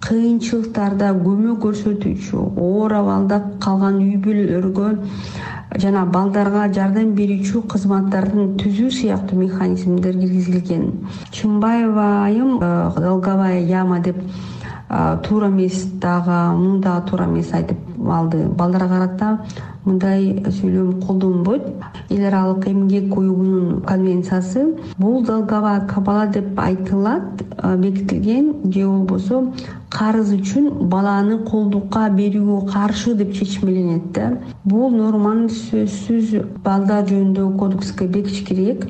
Speaker 17: кыйынчылыктарда көмөк көрсөтүүчү, оор абалда калган үй бүлөлөргө жана балдарга жардам берүүчү кызматтардын түзүү сыяктуу механизмдер киргизилген. Чынбаева айым долговая яма деп туура эмес дагы, муну дагы туура эмес айтып алды. Балдарга карата мындай сүйлөм колдонбойт. Эл аралык эмгек уюмунун конвенциясы бул долговая кабала деп айтылат, бекитилген же болбосо карыз үчүн баланы колдукка берүүгө каршы деп чечмеленет да. Бул норманы сөзсүз балдар жөнүндөгү кодекске бекитиш керек,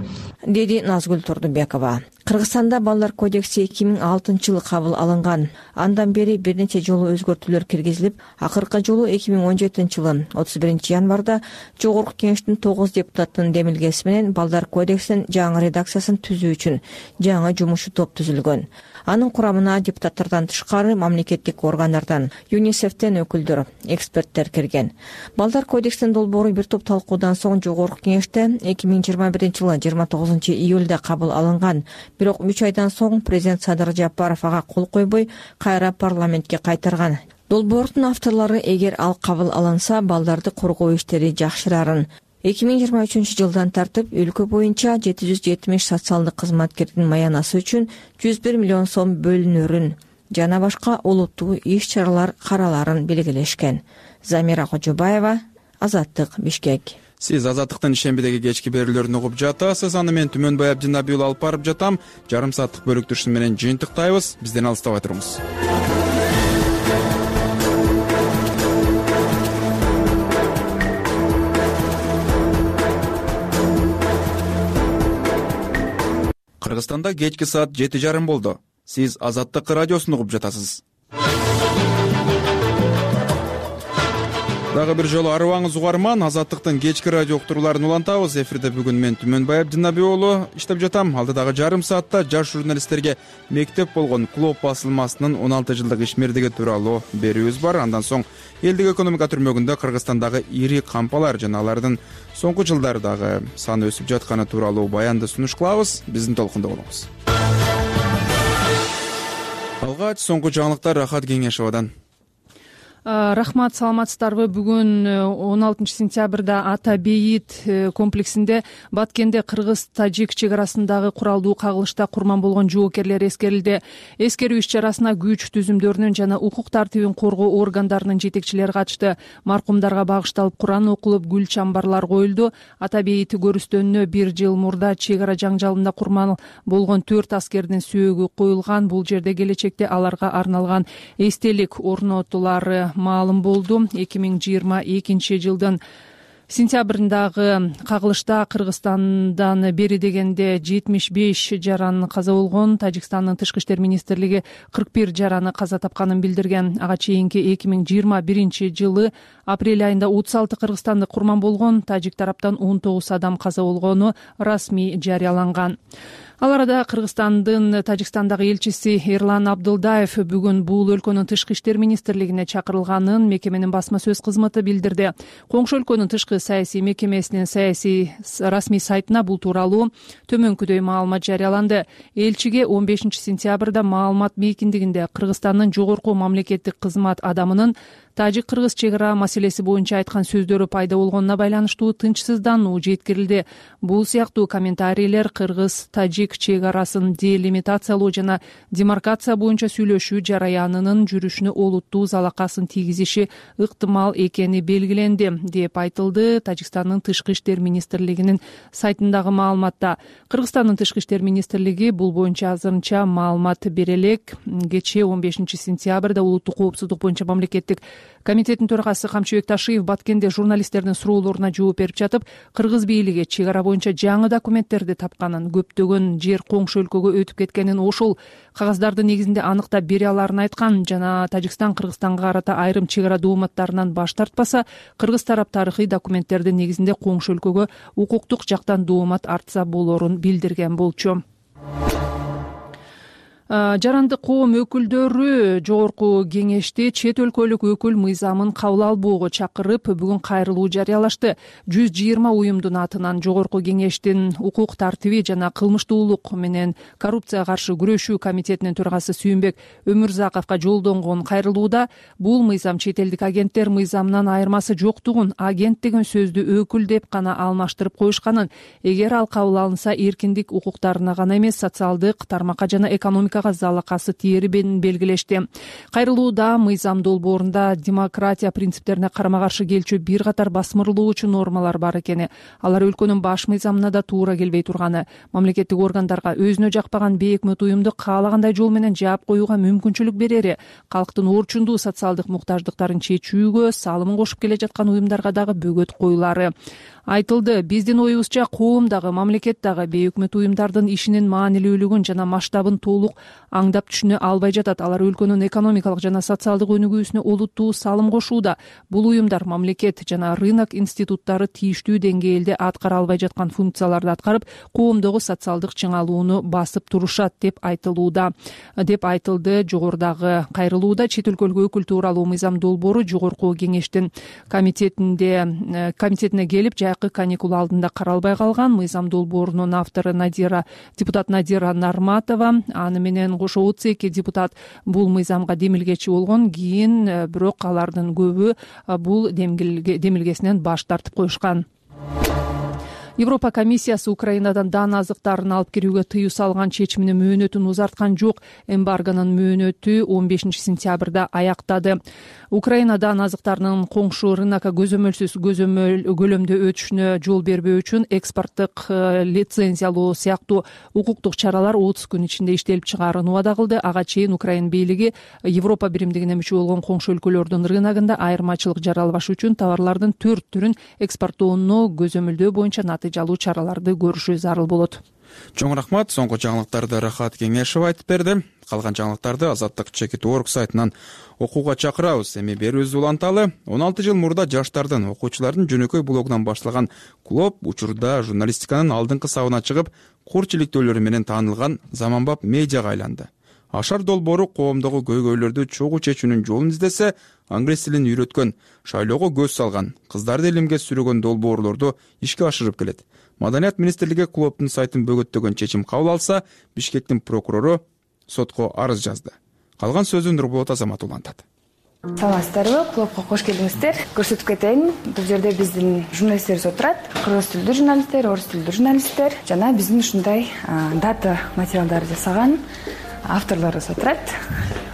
Speaker 8: деди Назгүл Турдубекова. Кыргызстанда балдар кодекси эки миң алтынчы жылы кабыл алынган. Андан бери бир нече жолу өзгөртүүлөр киргизилип, акыркы жолу эки миң он жетинчи жылы отуз биринчи январда жогорку кеңештин тогуз депутаттын демилгеси менен балдар кодексинин жаңы редакциясын түзүү үчүн жаңы жумушчу топ түзүлгөн. Анын курамына депутаттардан тышкары мамлекеттик органдардан, ЮНИСЕФтен өкүлдөр, эксперттер кирген. Балдар кодексинин долбоору бир топ талкуудан соң жогорку кеңеште эки миң жыйырма биринчи жылы жыйырма тогузунчу июлда кабыл алынган. Бирок үч айдан соң президент Садыр Жапаров ага кол койбой, кайра парламентке кайтарган. Долбоордун авторлору эгер ал кабыл алынса балдарды коргоо иштери жакшырарын. эки миң жыйырма үчүнчү жылдан тартып өлкө боюнча жети жүз жетимиш социалдык кызматкердин маянасы үчүн жүз бир миллион сом бөлүнөрүн жана башка олуттуу иш чаралар караларын белгилешкен. Замира Кожобаева, Азаттык, Бишкек.
Speaker 1: Сиз Азаттыктын ишембидеги кечки берүүлөрүн угуп жатасыз. Аны мен Түмөнбай Абдинабий уулу алып барып жатам. Жарым сааттык бөлүктүрүшү менен жыйынтыктайбыз. Бизден алыстабай туруңуз. Кыргызстанда кечки саат жети жарым болду. Сиз Азаттык радиосун угуп жатасыз. Дагы бир жолу арыбаңыз угарман, Азаттыктын кечки радио уктурууларын улантабыз. Эфирде бүгүн мен Түмөнбай Абдинабий уулу иштеп жатам. Алдыдагы жарым саатта жаш журналисттерге мектеп болгон Клуб басылмасынын он алты жылдык ишмердиги тууралуу берүүбүз бар. Андан соң элдик экономика түрмөгүндө Кыргызстандагы ири кампалар жана алардын соңку жылдардагы саны өсүп жатканы тууралуу баянды сунуш кылабыз. Биздин толкунда болуңуз. Алгач соңку жаңылыктар Рахат Кеңешовадан.
Speaker 5: Рахмат, саламатсыздарбы? Бүгүн он алтынчы сентябрда Ата Бейит комплексинде Баткенде кыргыз-тажик чек арасындагы куралдуу кагылышта курман болгон жоокерлер эскерилди. Эскерүү иш чарасына күч түзүмдөрүнүн жана укук тартибин коргоо органдарынын жетекчилери катышты. Маркумдарга багышталып Куран окулуп, гүл чамбарлар коюлду. Ата Бейит көрүстөнүнө бир жыл мурда чек ара жаңжалында курман болгон төрт аскердин сөөгү коюлган. Бул жерде келечекте аларга арналган эстелик орнотулары маалым болду. эки миң жыйырма экинчи жылдын сентябрындагы кагылышта Кыргызстандан бери дегенде жетимиш беш жаран каза болгон. Тажикстандын тышкы иштер министрлиги кырк бир жараны каза тапканын билдирген. Ага чейинки эки миң жыйырма биринчи жылы апрель айында отуз алты кыргызстандык курман болгон. Тажик тараптан он тогуз адам каза болгону расмий жарыяланган. Ал арада Кыргызстандын Тажикстандагы элчиси Эрлан Абдылдаев бүгүн бул өлкөнүн тышкы иштер министрлигине чакырылганын мекеменин басма сөз кызматы билдирди. Коңшу өлкөнүн тышкы саясий мекемесинин саясий расмий сайтына бул тууралуу төмөнкүдөй маалымат жарыяланды. Элчиге он бешинчи сентябрда маалымат мейкиндигинде Кыргызстандын жогорку мамлекеттик кызмат адамынын тажик-кыргыз чек ара маселеси боюнча айткан сөздөрү пайда болгонуна байланыштуу тынчсыздануу жеткирилди. Бул сыяктуу комментарийлер кыргыз-тажик чек арасын делимитациялоо жана демаркация боюнча сүйлөшүү жараянынын жүрүшүнө олуттуу залакасын тийгизиши ыктымал экени белгиленди, деп айтылды Тажикстандын тышкы иштер министрлигинин сайтындагы маалыматта. Кыргызстандын тышкы иштер министрлиги бул боюнча азырынча маалымат бере элек. Кечээ он бешинчи сентябрда улуттук коопсуздук боюнча мамлекеттик комитеттин төрагасы Камчыбек Ташиев Баткенде журналисттердин суроолоруна жооп берип жатып, кыргыз бийлиги чек ара боюнча жаңы документтерди тапканын, көптөгөн жер коңшу өлкөгө өтүп кеткенин, ошол кагаздардын негизинде аныктап бере аларын айткан жана Тажикстан Кыргызстанга карата айрым чек ара дооматтарынан баш тартпаса, кыргыз тарап тарыхый документтердин негизинде коңшу өлкөгө укуктук жактан доомат артса болорун билдирген болчу. Жарандык коом өкүлдөрү жогорку кеңеште чет өлкөлүк өкүл мыйзамын кабыл албоого чакырып, бүгүн кайрылуу жарыялашты. жүз жыйырма уюмдун атынан жогорку кеңештин укук тартиби жана кылмыштуулук менен коррупцияга каршы күрөшүү комитетинин төрагасы Сүйүнбек Өмүрзаковго жолдонгон кайрылууда бул мыйзам чет элдик агенттер мыйзамынан айырмасы жоктугун, агент деген сөздү өкүл деп гана алмаштырып коюшканын, эгер ал кабыл алынса эркиндик укуктарына гана эмес, социалдык тармакка жана экономика залакасы тээрибин белгилешти. Кайрылууда мыйзам долбоорунда демократия принциптерине карама каршы келчү бир катар басмырлоочу нормалар бар экени, алар өлкөнүн баш мыйзамына да туура келбей турганы, мамлекеттик органдарга өзүнө жакпаган бейөкмөт уюмду каалагандай жол менен жаап коюуга мүмкүнчүлүк берери, калктын орчундуу социалдык муктаждыктарын чечүүгө салымын кошуп келе жаткан уюмдарга дагы бөгөт коюлары айтылды. Биздин оюбузча коом дагы, мамлекет дагы бейөкмөт уюмдардын ишинин маанилүүлүгүн жана масштабын толук аңдап түшүнө албай жатат. Алар өлкөнүн экономикалык жана социалдык өнүгүүсүнө олуттуу салым кошууда. Бул уюмдар мамлекет жана рынок институттары тийиштүү деңгээлде аткара албай жаткан функцияларды аткарып, коомдогу социалдык чыңалууну басып турушат деп айтылууда, деп айтылды жогорудагы кайрылууда. Чет өлкөлүк өкүл тууралуу мыйзам долбоору жогорку кеңештин комитетинде комитетине келип, жайкы каникул алдында каралбай калган. Мыйзам долбоорунун автору Надира депутат Надира Нарматова аны менен менен кошо отуз эки депутат бул мыйзамга демилгечи болгон. Кийин бирок алардын көбү бул демилгесинен баш тартып коюшкан. Европа комиссиясы Украинадан дан азыктарын алып кирүүгө тыюу салган чечиминин мөөнөтүн узарткан жок. Эмбаргонун мөөнөтү он бешинчи сентябрда аяктады. Украина дан азыктарынын коңшу рынокко көзөмөлсүз көлөмдө өтүшүнө жол бербөө үчүн экспорттук лицензиялоо сыяктуу укуктук чаралар отуз күн ичинде иштелип чыгаарын убада кылды. Ага чейин Украина бийлиги Европа биримдигине мүчө болгон коңшу өлкөлөрдүн рыногунда айырмачылык жаралбаш үчүн товарлардын төрт түрүн экспорттоону көзөмөлдөө боюнча натыйжалуу чараларды көрүшү зарыл болот.
Speaker 1: Чоң рахмат. Соңку жаңылыктарды Рахат Кеңешев айтып берди. Калган жаңылыктарды Азаттык чекит точка орг сайтынан окууга чакырабыз. Эми берүүбүз уланталы. он алты жыл мурда жаштардын, окуучулардын жөнөкөй блогунан башталган клуб учурда журналистиканын алдыңкы сабына чыгып, курч иликтөөлөрү менен таанылган заманбап медиага айланды. Ашар долбоору коомдогу көйгөйлөрдү чогуу чечүүнүн жолун издесе, англис тилин үйрөткөн, шайлоого көз салган, кыздарды илимге сүрөгөн долбоорлорду ишке ашырып келет. Маданият министрлиги клубдун сайтын бөгөттөгөн чечим кабыл алса, Бишкектин прокурору сотко арыз жазды. Калган сөзүн Нурболот Азамат улантат.
Speaker 18: Саламатсыздарбы, клубга кош келиңиздер. Көрсөтүп кетейин, бул жерде биздин журналисттерибиз отурат. Кыргыз тилдүү журналисттер, орус тилдүү журналисттер жана биздин ушундай дата материалдарды жасаган авторлорубуз отурат.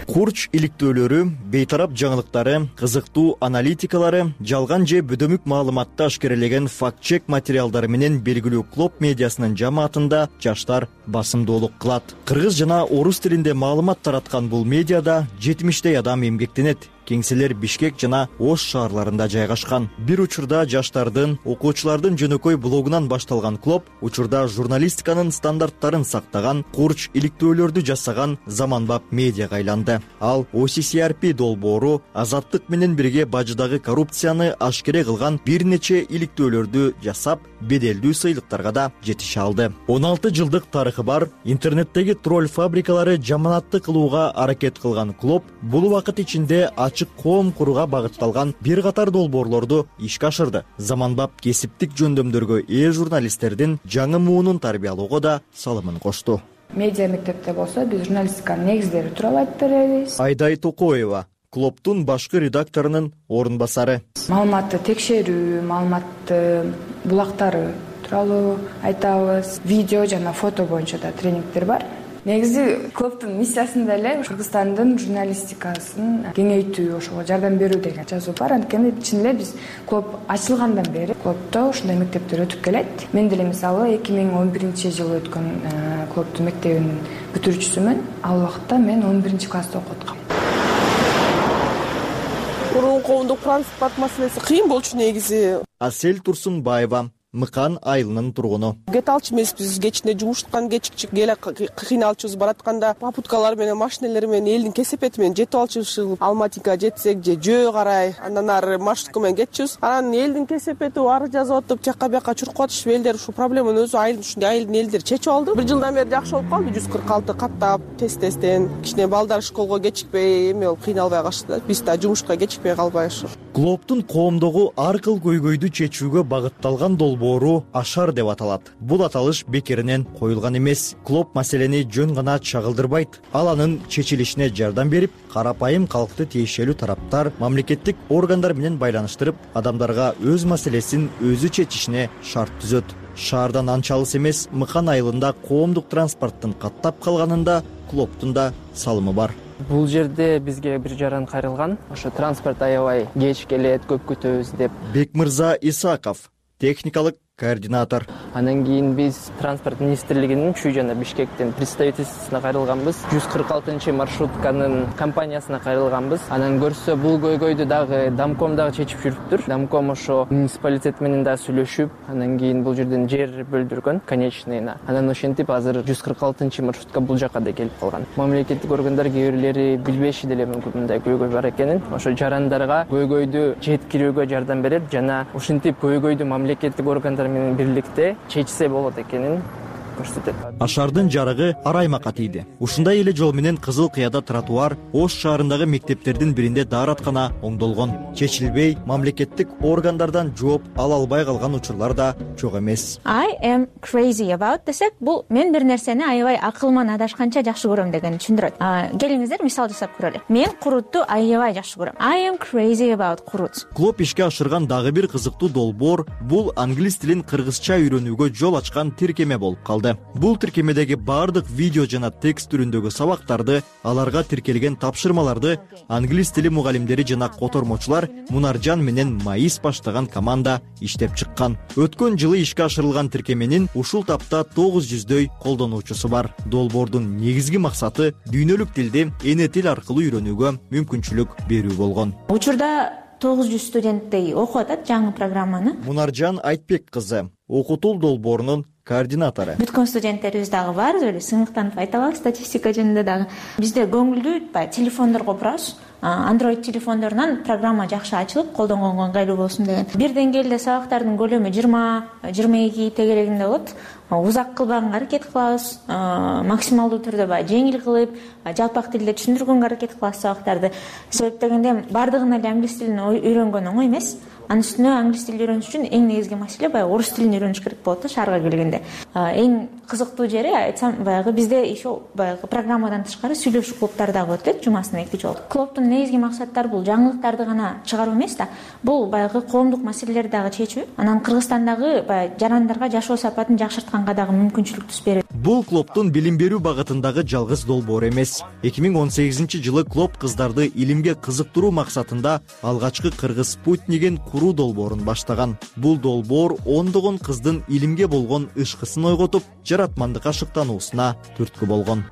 Speaker 19: Курч иликтөөлөрү, бейтарап жаңылыктары, кызыктуу аналитикалары, жалган же бөдөмүк маалыматты ашкерелеген факт-чек материалдары менен белгилүү клуб медиасынын жамаатында жаштар басымдуулук кылат. Кыргыз жана орус тилинде маалымат тараткан бул медиада жетимиштей адам эмгектенет. Кеңселер Бишкек жана Ош шаарларында жайгашкан. Бир учурда жаштардын, окуучулардын жөнөкөй блогунан башталган клуб учурда журналистиканын стандарттарын сактаган, курч иликтөөлөрдү жасаган заманбап медиага айланды. Ал о си си ар пи долбоору Азаттык менен бирге бажыдагы коррупцияны ашкере кылган бир нече иликтөөлөрдү жасап, беделдүү сыйлыктарга да жетише алды. он алты жылдык тарыхы бар, интернеттеги тролль фабрикалары жаманатты кылууга аракет кылган клуб бул убакыт ичинде ачык коом курууга багытталган бир катар долбоорлорду ишке ашырды. Заманбап кесиптик жөндөмдөргө ээ журналисттердин жаңы муунун тарбиялоого да салымын кошту.
Speaker 18: Медиа мектепте болсо биз журналистиканын негиздери тууралуу айтып беребиз.
Speaker 19: Айдай Токоева, клубтун башкы редакторунун орун басары.
Speaker 18: Маалыматты текшерүү, маалыматты булактары тууралуу айтабыз. Видео жана фото боюнча да тренингдер бар. Негизи клубтун миссиясында эле Кыргызстандын журналистикасын кеңейтүү, ошого жардам берүү деген жазуу бар. Анткени чын эле биз клуб ачылгандан бери клубдо ушундай мектептер өтүп келет. Мен деле мисалы эки миң он биринчи жылы өткөн клубтун мектебинин бүтүрүүчүсүмүн. Ал убакта мен он биринчи класста окуп аткам.
Speaker 20: Мурун коомдук транспорт маселеси кыйын болчу негизи.
Speaker 19: Асель Турсунбаева, Мыкан айылынын тургуну.
Speaker 20: Кете алчу эмеспиз, кечинде жумуштан кечикчик келе кыйналчубуз, баратканда попуткалар менен, машинелер менен, элдин кесепети менен жетип алчубуз. Алматыга жетсек же жөө карай, андан ары маршрутка менен кетчүбүз. Анан элдин кесепети ары жазып атып, жакка бияка чуркуп атышып, элдер ушу проблеманы өзү айыл ушундай айылдын элдери чечип алды. Бир жылдан бери жакшы болуп калды. жүз кырк алты каттап, тест-тесттен, кичине балдар школго кечикпей, эме болуп кыйналбай калышты. Биз да жумушка кечикпей калбай ушу.
Speaker 19: Клубтун коомдогу ар кыл көйгөйдү чечүүгө багытталган долбоору Ашар деп аталат. Бул аталыш бекеринен коюлган эмес. Клуб маселени жөн гана чагылдырбайт. Ал анын чечилишине жардам берип, карапайым калкты тиешелүү тараптар мамлекеттик органдар менен байланыштырып, адамдарга өз маселесин өзү чечишине шарт түзөт. Шаардан анча алыс эмес Мыкан айылында коомдук транспорттун каттап калганында клубтун да салымы бар.
Speaker 21: Бул жерде бизге бир жаран кайрылган. Ошо транспорт аябай кеч келет, көп күтөбүз деп.
Speaker 19: Бекмырза Исаков, техникалык координатор.
Speaker 21: Андан кийин биз транспорт министрлигинин Чүй жана Бишкектин представительствосуна кайрылганбыз. жүз кырк алтынчы маршрутканын компаниясына кайрылганбыз. Анан көрсө бул көйгөйдү дагы Дамком дагы чечип жүрүптүр. Дамком ошо муниципалитет менен да сүйлөшүп, андан кийин бул жерден жер бөлдүргөн конечныйна. Анан ошентип азыр жүз кырк алтынчы маршрутка бул жакка да келип калган. Мамлекеттик органдар кээ бирлери билбеши деле мүмкүн мындай көйгөй бар экенин. Ошо жарандарга көйгөйдү жеткирүүгө жардам берет жана ушинтип көйгөйдү мамлекеттик органдар менен бирликте чечсе болот экенин көрсөтөт.
Speaker 19: Ашардын жарыгы Араймакка тийди. Ушундай эле жол менен Кызыл Кыяда тротуар Ош шаарындагы мектептердин биринде даараткана оңдолгон. Чечилбей, мамлекеттик органдардан жооп ала албай калган учурлар да жок эмес.
Speaker 9: I am crazy about десек, бул мен бир нерсени аябай акылман адашканча жакшы көрөм дегенди түшүндүрөт. Келиңиздер мисал жасап көрөлү. Мен куруту аябай жакшы көрөм. I am crazy about курут.
Speaker 19: Клоп ишке ашырган дагы бир кызыктуу долбоор бул англис тилин кыргызча үйрөнүүгө жол ачкан тиркеме болуп калды. Бул тиркемедеги бардык видео жана текст түрүндөгү сабактарды, аларга тиркелген тапшырмаларды англис тили мугалимдери жана котормочулар Мунаржан менен Маис баштаган команда иштеп чыккан. Өткөн жылы ишке ашырылган тиркеменин ушул тапта тогуз жүздөй колдонуучусу бар. Долбоордун негизги максаты дүйнөлүк тилди эне тил аркылуу үйрөнүүгө мүмкүнчүлүк берүү болгон.
Speaker 9: Учурда тогуз жүз студенттей окуп атат жаңы программаны.
Speaker 19: Мунаржан Айтбек кызы окутуу долбоорунун координатору.
Speaker 9: Бүткөн студенттерибиз дагы бар, эле сыймыктанып айта алабыз статистика жөнүндө дагы. Бизде көңүлдүү баягы телефондорго турабыз. Android телефондорунан программа жакшы ачылып, колдонгонго ыңгайлуу болсун деген. Бир деңгээлде сабактардын көлөмү жыйырма жыйырма эки тегерегинде болот. Узак кылбаганга аракет кылабыз, максималдуу түрдө баягы жеңил кылып, жалпак тилде түшүндүргөнгө аракет кылабыз сабактарды. Себеп дегенде бардыгына эле англис тилин үйрөнгөн оңой эмес. Анын үстүнө англис тилин үйрөнүш үчүн эң негизги маселе баягы орус тилин үйрөнүш керек болот да шаарга келгенде. Эң кызыктуу жери айтсам баягы бизде еще баягы программадан тышкары сүйлөшүү клубтары дагы өтөт жумасына эки жолу. Клубтун негизги максаттары бул жаңылыктарды гана чыгаруу эмес да, бул баягы коомдук маселелерди дагы чечүү. Анан Кыргызстандагы баягы жарандарга жашоо сапатын жакшыртканга дагы мүмкүнчүлүк түз берет.
Speaker 19: Бул клубтун билим берүү багытындагы жалгыз долбоор эмес. эки миң он сегизинчи жылы клуб кыздарды илимге кызыктыруу максатында алгачкы кыргыз спутнигин куруу долбоорун баштаган. Бул долбоор ондогон кыздын илимге болгон ышкысын ойготуп, жаратмандыкка шыктануусуна түрткү болгон.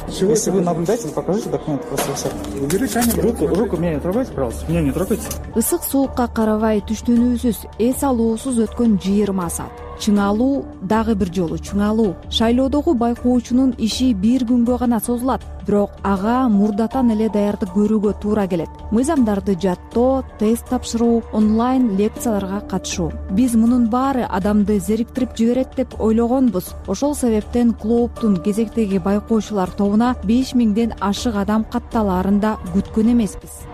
Speaker 22: Если вы нам дайте, покажите документы, просто все. Уберите камеру. Руку, руку меня не трогайте, пожалуйста. Меня не трогайте.
Speaker 5: Ысык суукка карабай түштөнүүсүз, эс алуусуз өткөн жыйырма саат. Чыңалуу дагы бир жолу чыңалуу. Шайлоодогу байкоочунун иши бир күнгө гана созулат, бирок ага мурдатан эле даярдык көрүүгө туура келет. Мыйзамдарды жаттоо, тест тапшыруу, онлайн лекцияларга катышуу. Биз мунун баары адамды зериктирип жиберет деп ойлогонбуз. Ошол себептен клубтун кезектеги байкоочулар тобуна беш миңден ашык адам катталаарын да күткөн эмеспиз.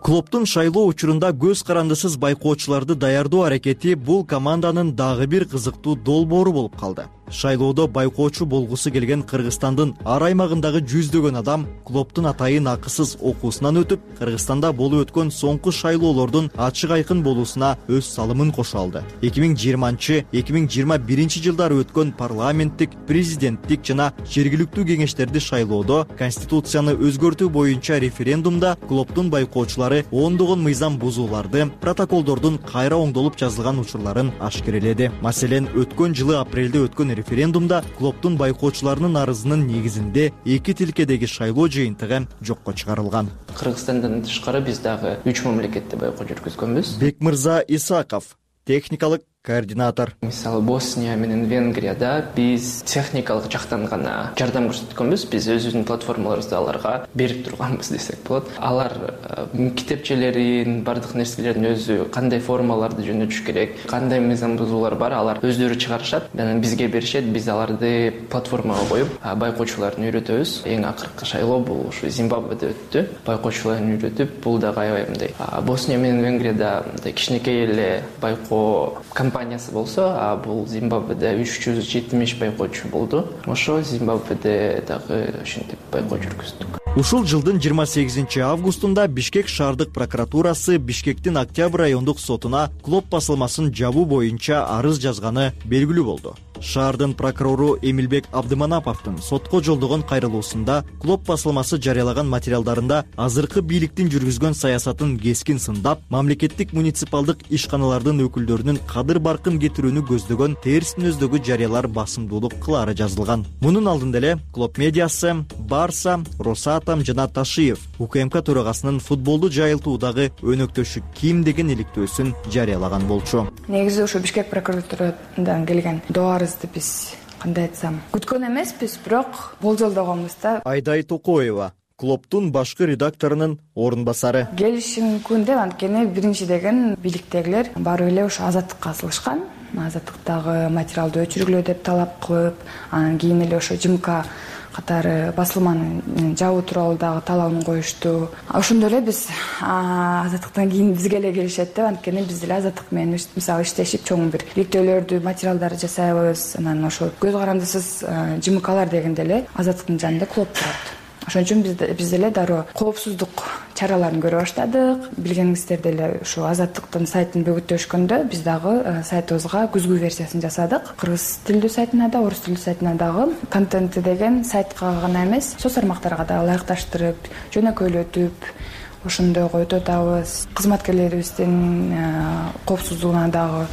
Speaker 19: Клубтун шайлоо учурунда көз карандысыз байкоочуларды даярдоо аракети бул команданын дагы бир кызыктуу долбоору болуп калды. Шайлоодо байкоочу болгусу келген Кыргызстандын ар аймагындагы жүздөгөн адам клубтун атайын акысыз окуусунан өтүп, Кыргызстанда болуп өткөн соңку шайлоолордун ачык айкын болуусуна өз салымын кошо алды. эки миң жыйырманчы эки миң жыйырма биринчи жылдары өткөн парламенттик, президенттик жана жергиликтүү кеңештерди шайлоодо конституцияны өзгөртүү боюнча референдумда клубтун байкоочулары ондогон мыйзам бузууларды, протоколдордун кайра оңдолуп жазылган учурларын ашкереледи. Маселен, өткөн жылы апрелде өткөн референдумда клубтун байкоочуларынын арызынын негизинде эки тилкедеги шайлоо жыйынтыгы жокко чыгарылган.
Speaker 21: Кыргызстандан тышкары биз дагы үч мамлекетте байкоо жүргүзгөнбүз.
Speaker 19: Бекмырза Исаков, техникалык координатор.
Speaker 21: Мисалы Босния менен Венгрияда биз техникалык жактан гана жардам көрсөткөнбүз. Биз өзүбүздүн платформаларыбызды аларга берип турганбыз десек болот. Алар китепчелерин, бардык нерселерин өзү кандай формаларды жөнөтүш керек, кандай мыйзам бузуулар бар, алар өздөрү чыгарышат. Анан бизге беришет, биз аларды платформага коюп, байкоочуларды үйрөтөбүз. Эң акыркы шайлоо бул ушу Зимбабведе өттү. Байкоочуларды үйрөтүп, бул дагы аябай мындай Босния менен Венгрияда кичинекей эле байкоо компаниясы болсо, а бул Зимбабведе үч жүз жетимиш байкоочу болду. Ошо Зимбабведе дагы ушинтип байкоо жүргүздүк.
Speaker 19: Ушул жылдын жыйырма сегизинчи августунда Бишкек шаардык прокуратурасы Бишкектин Октябрь райондук сотуна клуб басылмасын жабуу боюнча арыз жазганы белгилүү болду. Шаардын прокурору Эмилбек Абдыманаповдун сотко жолдогон кайрылуусунда клуб басылмасы жарыялаган материалдарында азыркы бийликтин жүргүзгөн саясатын кескин сындап, мамлекеттик муниципалдык ишканалардын өкүлдөрүнүн кадыр баркын кетирүүнү көздөгөн терс мүнөздөгү жарыялар басымдуулук кылаары жазылган. Мунун алдында эле клуб медиасы, Барса, Росатом жана Ташиев УКМК төрагасынын футболду жайылтуудагы өнөктөшү ким деген иликтөөсүн жарыялаган болчу.
Speaker 18: Негизи ошо Бишкек прокуратурадан келген доорубузду биз кандай айтсам, күткөн эмеспиз, бирок болжолдогонбуз да.
Speaker 19: Айдай Токоева, клубтун башкы редакторунун орун басары.
Speaker 18: Келиши мүмкүн деп, анткени биринчи деген бийликтегилер барып эле ошо азаттыкка асылышкан. азаттыктагы материалды өчүргүлө деп талап кылып, анан кийин эле ошо ЖМК катары басылманы жабуу тууралуу дагы талабын коюшту. Ошондой эле биз азаттыктан кийин бизге эле келишет деп, анткени биз деле азаттык менен мисалы иштешип чоң бир иликтөөлөрдү, материалдарды жасайбыз. Анан ошо көз карандысыз ЖМКлар дегенде эле азаттыктын жанында клуб турат. Ошон үчүн биз биз деле дароо коопсуздук чараларын көрө баштадык. Билгениңиздер эле ушу азаттыктын сайтын бөгөттөшкөндө биз дагы сайтыбызга күзгү версиясын жасадык. Кыргыз тилдүү сайтына да, орус тилдүү сайтына дагы контенти деген сайтка гана эмес, соц тармактарга да ылайыкташтырып, жөнөкөйлөтүп, ошондой койуп атабыз. Кызматкерлерибиздин коопсуздугуна дагы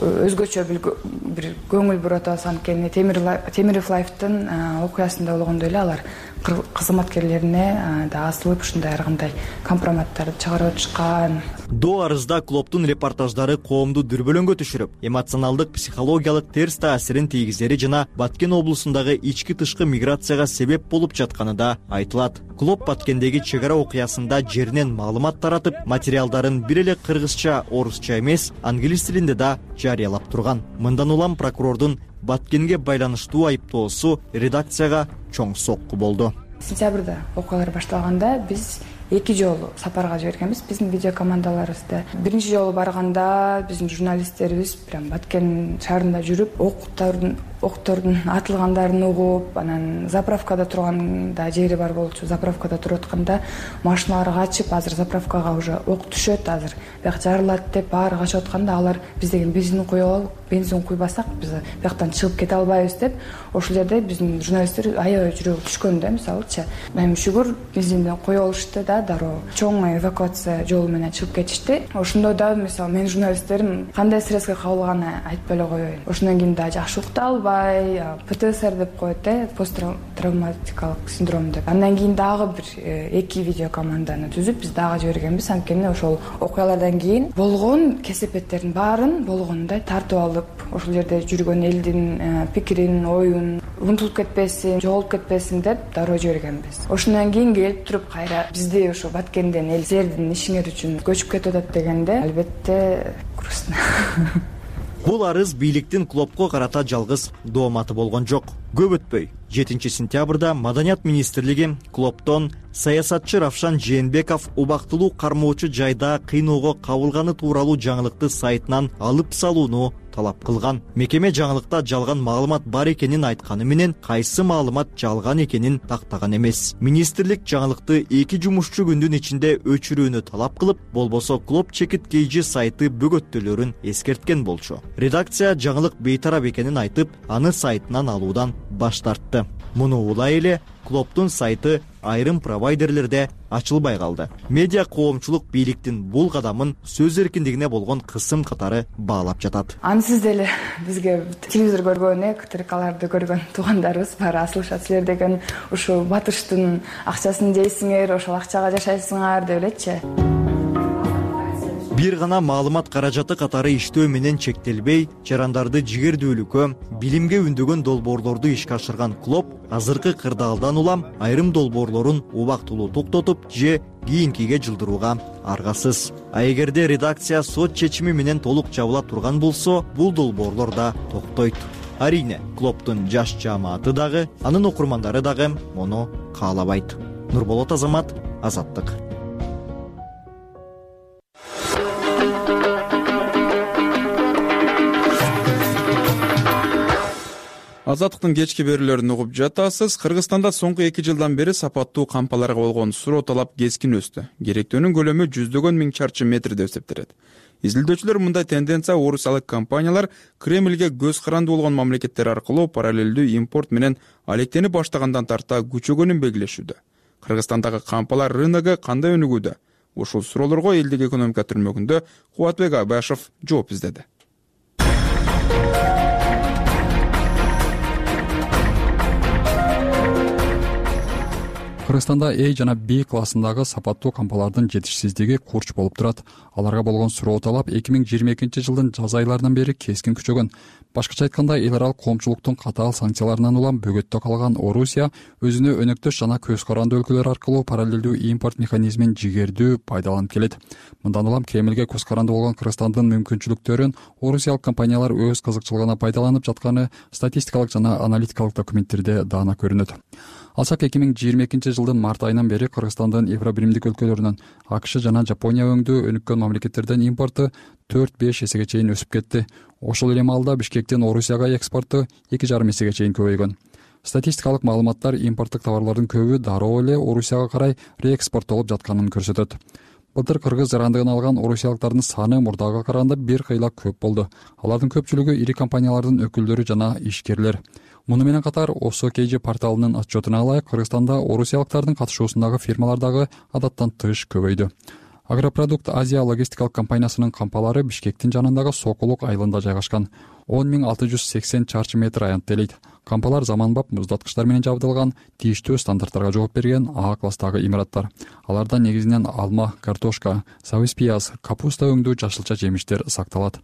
Speaker 18: өзгөчө бир көңүл буруп атабыз. Анткени Темиров Лайфтын окуясында болгондой эле алар кызматкерлерине да асылып ушундай ар кандай компроматтарды чыгарып атышкан.
Speaker 19: До арызда клубдун репортаждары коомду дүрбөлөңгө түшүрүп, эмоционалдык, психологиялык терс таасирин тийгизери жана Баткен облусундагы ички тышкы миграцияга себеп болуп жатканы да айтылат. Клуб Баткендеги чек ара окуясында жеринен маалымат таратып, материалдарын бир эле кыргызча, орусча эмес, англис тилинде да жарыялап турган. Мындан улам прокурордун Баткенге байланыштуу айыптоосу редакцияга чоң сокку болду.
Speaker 18: Сентябрда окуялар башталганда биз эки жолу сапарга жибергенбиз биздин видео командаларыбызды. Биринчи жолу барганда биздин журналисттерибиз прям Баткен шаарында жүрүп, октордун октордун атылгандарын угуп, анан заправкада турганда жери бар болчу. Заправкада туруп атканда машиналар качып, азыр заправкага уже ок түшөт, азыр бияк жарылат деп баары качып атканда алар биз деген бензин куюп алып, бензин куйбасак биз бияктан чыгып кете албайбыз деп, ошол жерде биздин журналисттер аябай жүрөгү түшкөн да, мисалычы. Эми шүгүр бензинден коюп алышты да, дароо чоң эвакуация жолу менен чыгып кетишти. Ошондо да мисалы менин журналисттерим кандай стресске кабылганын айтпай эле коеюн. Ошондон кийин да жакшы укта албай, ПТСР деп коет, э, посттравматикалык синдром деп. Андан кийин дагы бир эки видео команданы түзүп биз дагы жибергенбиз. Анткени ошол окуялардан кийин болгон кесепеттердин баарын болгондой тартып алып, ошол жерде жүргөн элдин пикирин, оюн унутулуп кетпесин, жоголуп кетпесин деп дароо жибергенбиз. Ошондон кийин келип туруп кайра бизди ошо Баткенден эл силердин ишиңер үчүн көчүп кетип атат дегенде, албетте грустно.
Speaker 19: Бул арыз бийликтин клубко карата жалгыз дооматы болгон жок. Көп өтпөй жетинчи сентябрда Маданият министрлиги клубтон саясатчы Равшан Жээнбеков убактылуу кармоочу жайда кыйноого кабылганы тууралуу жаңылыкты сайтынан алып салууну талап кылган. Мекеме жаңылыкта жалган маалымат бар экенин айтканы менен кайсы маалымат жалган экенин тактаган эмес. Министрлик жаңылыкты эки жумушчу күндүн ичинде өчүрүүнү талап кылып, болбосо клуб чекит кейжи сайты бөгөттөлөрүн эскерткен болчу. Редакция жаңылык бейтарап экенин айтып, аны сайтынан алуудан баш тартты. Муну улай эле клубтун сайты айрым провайдерлерде ачылбай калды. Медиа коомчулук бийликтин бул кадамын сөз эркиндигине болгон кысым катары баалап жатат.
Speaker 18: Ансыз деле бизге телевизор көргөн, КТРКларды көргөн туугандарыбыз бар, асылышат, силер деген ушу батыштын акчасын жейсиңер, ошол акчага жашайсыңар деп элечи.
Speaker 19: Бир гана маалымат каражаты катары иштөө менен чектелбей, жарандарды жигердүүлүккө, билимге үндөгөн долбоорлорду ишке ашырган клуб азыркы кырдаалдан улам айрым долбоорлорун убактылуу токтотуп же кийинкиге жылдырууга аргасыз. А эгерде редакция сот чечими менен толук жабыла турган болсо, бул долбоорлор да токтойт. Арине, клубтун жаш жааматы дагы, анын окурмандары дагы муну каалабайт. Нурболот Азамат, Азаттык.
Speaker 1: Азаттыктын кечки берүүлөрүн угуп жатасыз. Кыргызстанда соңку эки жылдан бери сапаттуу кампаларга болгон суроо талап кескин өстү. Керектөөнүн көлөмү жүздөгөн миң чарчы метр деп эсептелет. Изилдөөчүлөр мындай тенденция орусиялык компаниялар Кремльге көз каранды болгон мамлекеттер аркылуу параллелдүү импорт менен алектенип баштагандан тарта күчөгөнүн белгилешүүдө. Кыргызстандагы кампалар рыногу кандай өнүгүүдө? Ушул суроолорго элдик экономика түрмөгүндө Кубатбек Абашев жооп издеди.
Speaker 2: Кыргызстанда A жана B классындагы сапаттуу кампалардын жетишсиздиги курч болуп турат. Аларга болгон суроо талап эки миң жыйырма экинчи жылдын жаз айларынан бери кескин күчөгөн. Башкача айтканда, эл аралык коомчулуктун катаал санкцияларынан улам бөгөттө калган Орусия өзүнө өнөктөш жана көз каранды өлкөлөр аркылуу параллелдүү импорт механизмин жигердүү пайдаланып келет. Мындан улам Кремлге көз каранды болгон Кыргызстандын мүмкүнчүлүктөрүн орусиялык компаниялар өз кызыкчылыгына пайдаланып жатканы статистикалык жана аналитикалык документтерде даана көрүнөт. Алсак эки миң жыйырма экинчи жылдын март айынан бери Кыргызстандын Евробиримдик өлкөлөрүнөн АКШ жана Жапония өңдүү өнүккөн мамлекеттерден импорту төрт беш эсеге чейин өсүп кетти. Ошол эле маалда Бишкектин Орусияга экспорту эки жарым эсеге чейин көбөйгөн. Статистикалык маалыматтар импорттук товарлардын көбү дароо эле Орусияга карай реэкспорттолуп жатканын көрсөтөт. Былтыр кыргыз жарандыгын алган орусиялыктардын саны мурдага караганда бир кыйла көп болду. Алардын көпчүлүгү ири компаниялардын өкүлдөрү жана ишкерлер. Муну менен катар Осокейжи порталынын отчетуна ылайык, Кыргызстанда орусиялыктардын катышуусундагы фирмалардагы адаттан тыш көбөйдү. Агропродукт Азия логистикалык компаниясынын кампалары Бишкектин жанындагы Сокулук айылында жайгашкан. он миң алты жүз сексен чарчы метр аянттелет. Кампалар заманбап муздаткычтар менен жабдылган, тийиштүү стандарттарга жооп берген А класстагы имараттар. Аларда негизинен алма, картошка, сабыз пияз, капуста өңдүү жашылча жемиштер сакталат.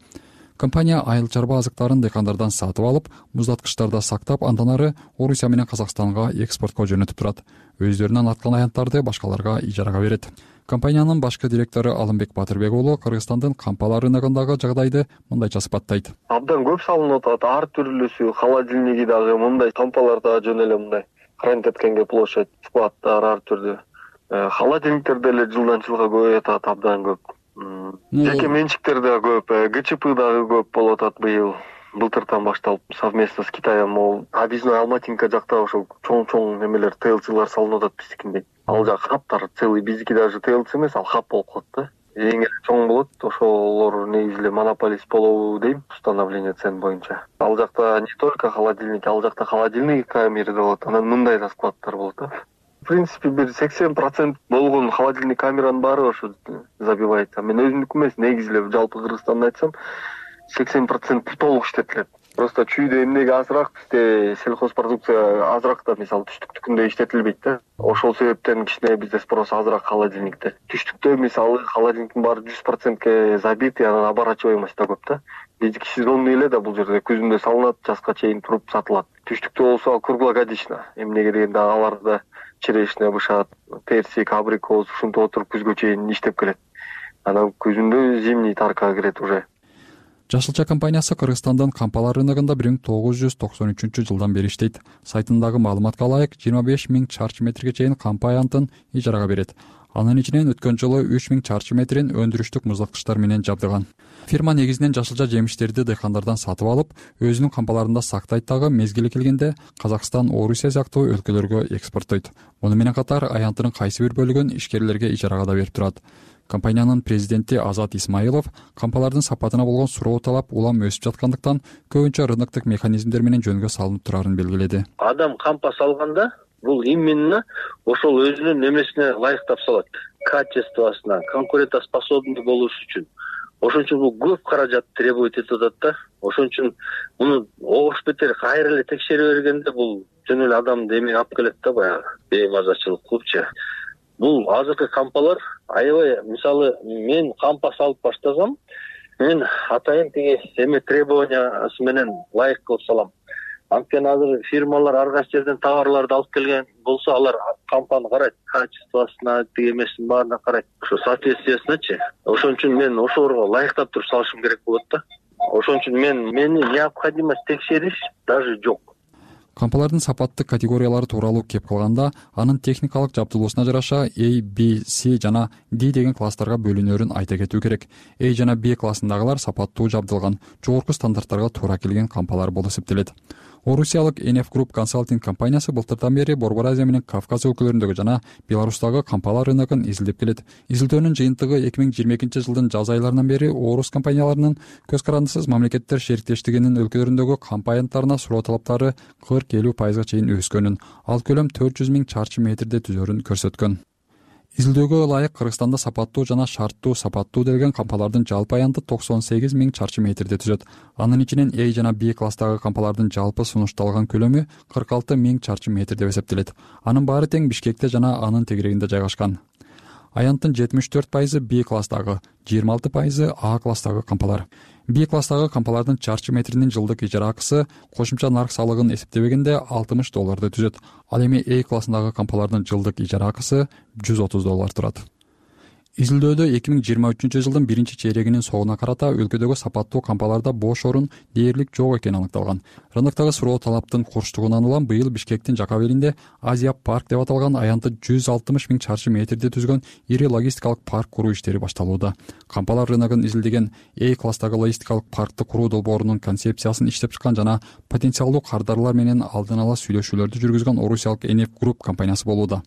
Speaker 2: Компания айыл чарба азыктарын дыйкандардан сатып алып, муздаткычтарда сактап, андан ары Орусия менен Казакстанга экспортко жөнөтүп турат. Өздөрүнөн аткан аянттарды башкаларга ижарага берет. Компаниянын башкы директору Алымбек Батырбек уулу Кыргызстандын кампалар рыногундагы жагдайды мындайча сыпаттайт.
Speaker 10: Абдан көп салынып атат, ар түрлүүсү, холодильниги дагы мындай кампалар дагы жөн эле мындай карантеткенге площадь, складдар ар түрдүү. Холодильниктер деле жылдан жылга көбөйүп атат, абдан көп. Жеке менчиктер да көп, ГЧП дагы көп болуп атат быйыл. Былтыртан башталып совместно с Китаем, могул объездной Алматинка жакта ошол чоң-чоң немелер, ТЛЦлар салынып атат биздикиндей. Ал жак хаптар целый, биздики даже ТЛЦ эмес, ал хап болуп калат да. Эң эле чоң болот, ошолор негизи эле монополист болобу дейм, установление цен боюнча. Ал жакта не только холодильник, ал жакта холодильный камеры да болот, анан мындай да складдар болот да. В принципе, бир сексен процент болгон холодильный камеранын баары ошо забивается. Мен өзүмдүкү эмес, негизи эле жалпы Кыргызстанды айтсам, сексен процент толук иштетилет. Просто чүйдө эмнеге азыраак, бизде сельхозпродукция азыраак да, мисалы түштүктүкүндө иштетилбейт да. Ошол себептен кичине бизде спрос азыраак холодильникте. Түштүктө мисалы холодильниктин баары жүз процентке забит, анан оборачиваемость да көп да. Биздики сезонный эле да, бул жерде күзүндө салынат, жазга чейин туруп сатылат. Түштүктө болсо круглогодично, эмнеге дегенде аларда черешня, бышат, персик, абрикос, ушинтип отуруп күзгө чейин иштеп келет. Анан күзүндө зимний таркага кирет уже.
Speaker 2: Жашылча компаниясы Кыргызстандын кампалар рыногунда бир миң тогуз жүз токсон үчүнчү жылдан бери иштейт. Сайтындагы маалыматка ылайык, жыйырма беш миң чарчы метрге чейин кампа аянтын ижарага берет. Анын ичинен өткөн жылы үч миң чарчы метрин өндүрүштүк муздаткычтар менен жабдыган. Фирма негизинен жашылча жемиштерди дыйкандардан сатып алып, өзүнүн кампаларында сактайт дагы, мезгили келгенде Казакстан, Орусия сыяктуу өлкөлөргө экспорттойт. Муну менен катар аянтынын кайсы бир бөлүгүн ишкерлерге ижарага да берип турат. Компаниянын президенти Азат Исмаилов кампалардын сапатына болгон суроо талап улам өсүп жаткандыктан көбүнчө рыноктук механизмдер менен жөнгө салынып турарын белгиледи.
Speaker 3: Адам кампа салганда бул именно ошол өзүнүн немесине ылайыктап салат, качествосуна, конкурентоспособный болуш үчүн. Ошон үчүн бул көп каражат требует этип атат да. Ошон үчүн муну ош бетер кайра эле текшере бергенде бул жөн эле адамды эме алып келет да, баягы беймазачылык кылыпчы. Бул азыркы кампалар аябай, мисалы мен кампа салып баштасам, мен атайын тиги эме требованиясы менен ылайык кылып салам. Анткени азыр фирмалар ар кайсы жерден товарларды алып келген болсо, алар кампаны карайт, качествосуна, тиги эмесин баарына карайт, ошо соответствиесиначы. Ошон үчүн мен ошолорго ылайыктап туруп салышым керек болот да. Ошон үчүн мен мени необходимость текшериш даже жок.
Speaker 2: Кампалардын сапаттык категориялары тууралуу кеп калганда, анын техникалык жабдылуусуна жараша A, B, C жана D деген класстарга бөлүнөрүн айта кетүү керек. A жана B классындагылар сапаттуу жабдылган, жогорку стандарттарга туура келген кампалар болуп эсептелет. Орусиялык эн эф Group консалтинг компаниясы былтырдан бери Борбор Азия менен Кавказ өлкөлөрүндөгү жана Беларустагы кампалар рыногун изилдеп келет. Изилдөөнүн жыйынтыгы эки миң жыйырма экинчи жылдын жаз айларынан бери орус компанияларынын көз карандысыз мамлекеттер шериктештигинин өлкөлөрүндөгү кампа аянттарына суроо талаптары кырк элүү пайызга чейин өскөнүн, ал көлөм төрт жүз миң чарчы метрди түзөрүн көрсөткөн. Изилдөөгө ылайык Кыргызстанда сапаттуу жана шарттуу сапаттуу делген кампалардын жалпы аянты токсон сегиз миң чарчы метрди түзөт. Анын ичинен A жана B класстагы кампалардын жалпы сунушталган көлөмү кырк алты миң чарчы метр деп эсептелет. Анын баары тең Бишкекте жана анын тегерегинде жайгашкан. Аянттын жетимиш төрт пайызы B класстагы, жыйырма алты пайызы A класстагы кампалар. B класстагы кампалардын чарчы метринин жылдык ижара акысы кошумча нарк салыгын эсептебегенде алтымыш долларды түзөт. Ал эми A классындагы кампалардын жылдык ижара акысы жүз отуз доллар турат. Изилдөөдө эки миң жыйырма үчүнчү жылдын биринчи чейрегинин соңуна карата өлкөдөгү сапаттуу кампаларда бош орун дээрлик жок экени аныкталган. Рыноктогу суроо талаптын курчтугунан улам быйыл Бишкектин Жакабелинде Азия парк деп аталган аянты жүз алтымыш миң чарчы метрди түзгөн ири логистикалык парк куруу иштери башталууда. Кампалар рыногун изилдеген A класстагы логистикалык паркты куруу долбоорунун концепциясын иштеп чыккан жана потенциалдуу кардарлар менен алдын ала сүйлөшүүлөрдү жүргүзгөн орусиялык Энеф Групп компаниясы болууда.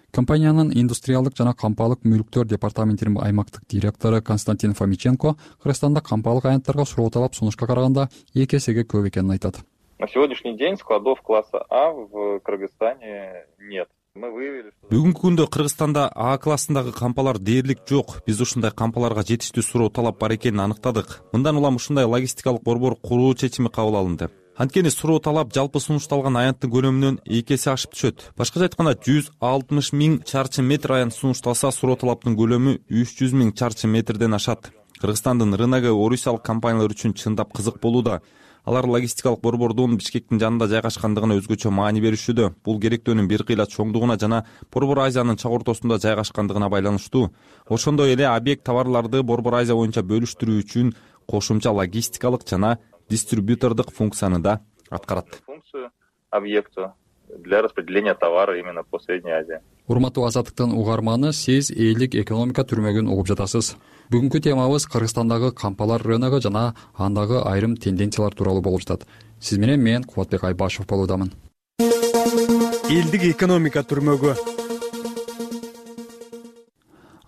Speaker 2: Компаниянын индустриалдык жана кампалык мүлктөр департаментинин аймактык директору Константин Фомиченко Кыргызстанда кампалык аянттарга суроо талап сунушка караганда эки эсеге көп экенин айтат.
Speaker 6: На сегодняшний день складов класса А в Кыргызстане нет.
Speaker 7: Бүгүнкү күндө Кыргызстанда А классындагы кампалар дээрлик жок. Биз ушундай кампаларга жетиштүү суроо талап бар экенин аныктадык. Мындан улам ушундай логистикалык борбор куруу чечими кабыл алынды. Анткени суроо талап жалпы сунушталган аянттын көлөмүнөн эки эсе ашып түшөт. Башкача айтканда жүз алтымыш миң чарчы метр аянт сунушталса, суроо талаптын көлөмү үч жүз миң чарчы метрден ашат. Кыргызстандын рыногу орусиялык компаниялар үчүн чындап кызык болууда. Алар логистикалык борбордун Бишкектин жанында жайгашкандыгына өзгөчө маани беришүүдө. Бул керектөөнүн бир кыйла чоңдугуна жана Борбор Азиянын чак ортосунда жайгашкандыгына байланыштуу. Ошондой эле объект товарларды Борбор Азия боюнча бөлүштүрүү үчүн кошумча логистикалык жана дистрибьютордук функцияны да аткарат.
Speaker 6: Функцию объекта для распределения товара именно по Средней Азии.
Speaker 2: Урматтуу Азаттыктын угарманы, сиз элдик экономика түрмөгүн угуп жатасыз. Бүгүнкү темабыз Кыргызстандагы кампалар рыногу жана андагы айрым тенденциялар тууралуу болуп жатат. Сиз менен мен Кубатбек Айбашев болуудамын.
Speaker 23: Элдик экономика түрмөгү.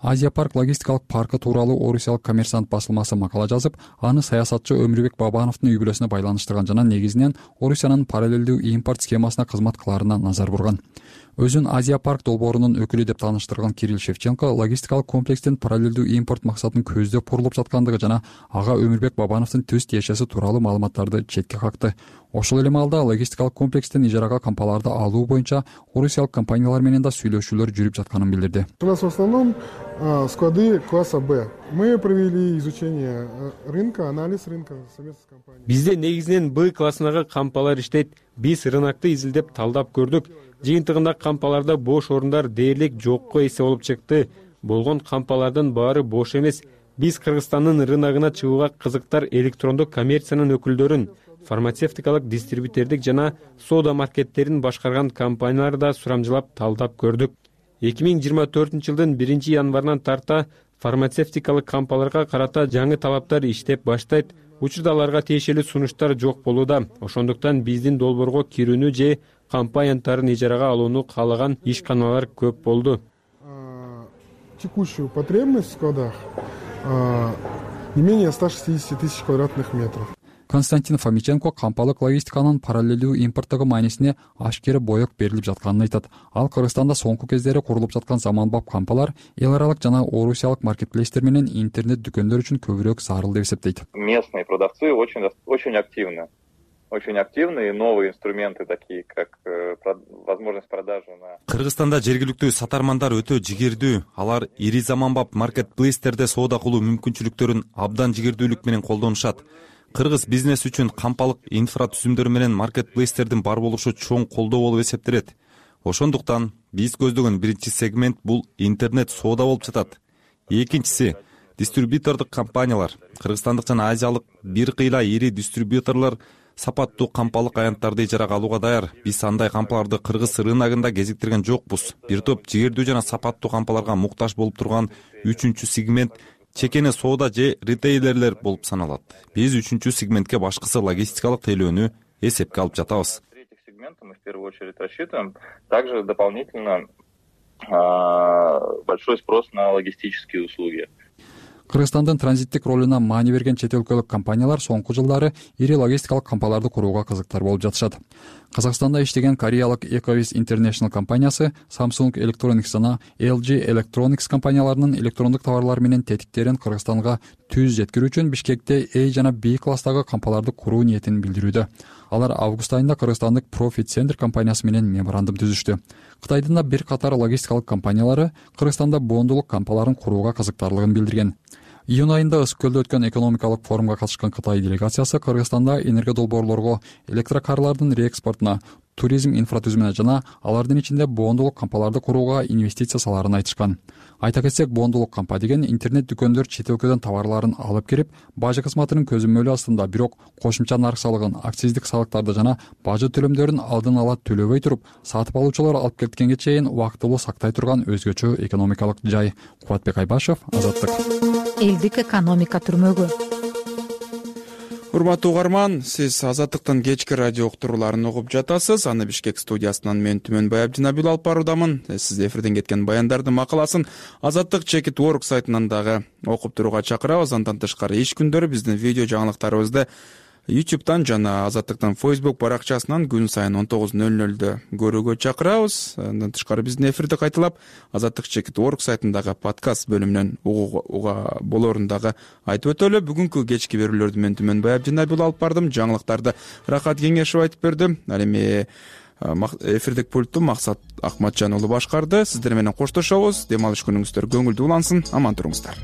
Speaker 2: Азия парк логистикалык паркы тууралуу орусиялык Коммерсант басылмасы макала жазып, аны саясатчы Өмүрбек Бабановдун үй бүлөсүнө байланыштырган жана негизинен Орусиянын параллелдүү импорт схемасына кызмат кылаарына назар бурган. Өзүн Азия парк долбоорунун өкүлү деп тааныштырган Кирилл Шевченко логистикалык комплекстин параллелдүү импорт максатын көздөп курулуп жаткандыгы жана ага Өмүрбек Бабановдун төз тиешеси тууралуу маалыматтарды четке какты. Ошол эле маалда логистикалык комплекстин ижарага кампаларды алуу боюнча орусиялык компаниялар менен да сүйлөшүүлөр жүрүп жатканын билдирди.
Speaker 24: У нас в основном склады класса Б. Мы провели изучение рынка, анализ рынка совместно с компанией.
Speaker 23: Бизде негизинен Б классындагы кампалар иштейт. Биз рынокты изилдеп талдап көрдүк. Жыйынтыгында кампаларда бош орундар дээрлик жокко эсе болуп чыкты. Болгон кампалардын баары бош эмес. Биз Кыргызстандын рыногуна чыгууга кызыктар электрондук коммерциянын өкүлдөрүн, фармацевтикалык дистрибьютердик жана соода маркеттерин башкарган компанияларды да сурамжылап талдап көрдүк. эки миң жыйырма төртүнчү жылдын биринчи январынан тарта фармацевтикалык кампаларга карата жаңы талаптар иштеп баштайт. Учурда аларга тиешелүү сунуштар жок болууда. Ошондуктан биздин долбоорго кирүүнү же кампа аянттарын ижарага алууну каалаган ишканалар көп болду.
Speaker 24: Текущую потребность в складах не менее ста шестидесяти тысяч квадратных метров.
Speaker 2: Константин Фомиченко кампалык логистиканын параллелдүү импорттогу маанисине ашкере боек берилип жатканын айтат. Ал Кыргызстанда соңку кездери курулуп жаткан заманбап кампалар эл аралык жана орусиялык маркетплейстер менен интернет дүкөндөр үчүн көбүрөөк зарыл деп эсептейт.
Speaker 6: Местные продавцы очень очень активны. Очень активные новые инструменты, такие как возможность продажи на.
Speaker 7: Кыргызстанда жергиликтүү сатармандар өтө жигердүү. Алар ири заманбап маркетплейстерде соода кылуу мүмкүнчүлүктөрүн абдан жигердүүлүк менен колдонушат. Кыргыз бизнес үчүн кампалык инфра түзүмдөрү менен маркетплейстердин бар болушу чоң колдоо болуп эсептелет. Ошондуктан биз көздөгөн биринчи сегмент бул интернет соода болуп жатат. Экинчиси дистрибьютордук компаниялар. Кыргызстандык жана азиялык бир кыйла ири дистрибьюторлор сапаттуу кампалык аянттарды ижарага алууга даяр. Биз андай кампаларды кыргыз рыногунда кезиктирген жокпуз. Бир топ жигердүү жана сапаттуу кампаларга муктаж болуп турган үчүнчү сегмент чекене соода же ритейлерлер болуп саналат. Биз үчүнчү сегментке башкысы логистикалык тейлөөнү эсепке алып жатабыз.
Speaker 6: Третий сегмент мы в первую очередь рассчитываем. Также дополнительно большой спрос на логистические услуги.
Speaker 2: Кыргызстандын транзиттик ролуна маани берген чет өлкөлүк компаниялар соңку жылдары ири логистикалык кампаларды курууга кызыктар болуп жатышат. Казакстанда иштеген кореялык Ecovis International компаниясы Samsung Electronics жана эл джи Electronics компанияларынын электрондук товарлары менен тетиктерин Кыргызстанга түз жеткирүү үчүн Бишкекте A жана B класстагы кампаларды куруу ниетин билдирүүдө. Алар август айында кыргызстандык Profit Center компаниясы менен меморандум түзүштү. Кытайдын да бир катар логистикалык компаниялары Кыргызстанда бондулук кампаларын курууга кызыктарлыгын билдирген. Июнь айында Ысык көлдө өткөн экономикалык форумга катышкан Кытай делегациясы Кыргызстанда энергия долбоорлорго, электрокарлардын реэкспортуна, туризм инфратүзүмүнө жана алардын ичинде бондулук кампаларды курууга инвестиция салаарын айтышкан. Айта кетсек, бондулук кампа деген интернет дүкөндөр чет өлкөдөн товарларын алып кирип, бажы кызматынын көзөмөлү астында, бирок кошумча нарк салыгын, акциздик салыктарды жана бажы төлөмдөрүн алдын ала төлөбөй туруп, сатып алуучулар алып кеткенге чейин убактылуу сактай турган өзгөчө экономикалык жай. Кубатбек Айбашев, Азаттык.
Speaker 4: Элдик экономика түрмөгү.
Speaker 1: Урматтуу угарман, сиз Азаттыктын кечки радио уктурууларын угуп жатасыз. Аны Бишкек студиясынан мен Түмөнбай Абдинабил алып баруудамын. Сиз эфирден кеткен баяндардын макаласын Азаттык чекит орг сайтынан дагы окуп турууга чакырабыз. Андан тышкары иш күндөрү биздин видео жаңылыктарыбызды YouTube'дан жана Азаттыктын Facebook баракчасынан күн сайын он тогуз ноль нолдо көрүүгө чакырабыз. Андан тышкары биздин эфирди кайталап Азаттык чекит орг сайтындагы подкаст бөлүмүнөн угууга болоорун дагы айтып өтөлү. Бүгүнкү кечки берүүлөрдү мен Түмөнбай Абдинабил алып бардым. Жаңылыктарды Рахат Кеңешев айтып берди. Ал эми эфирдик пультту Максат Акматжан уулу башкарды. Сиздер менен коштошобуз. Дем алыш күнүңүздөр көңүлдүү улансын. Аман туруңуздар.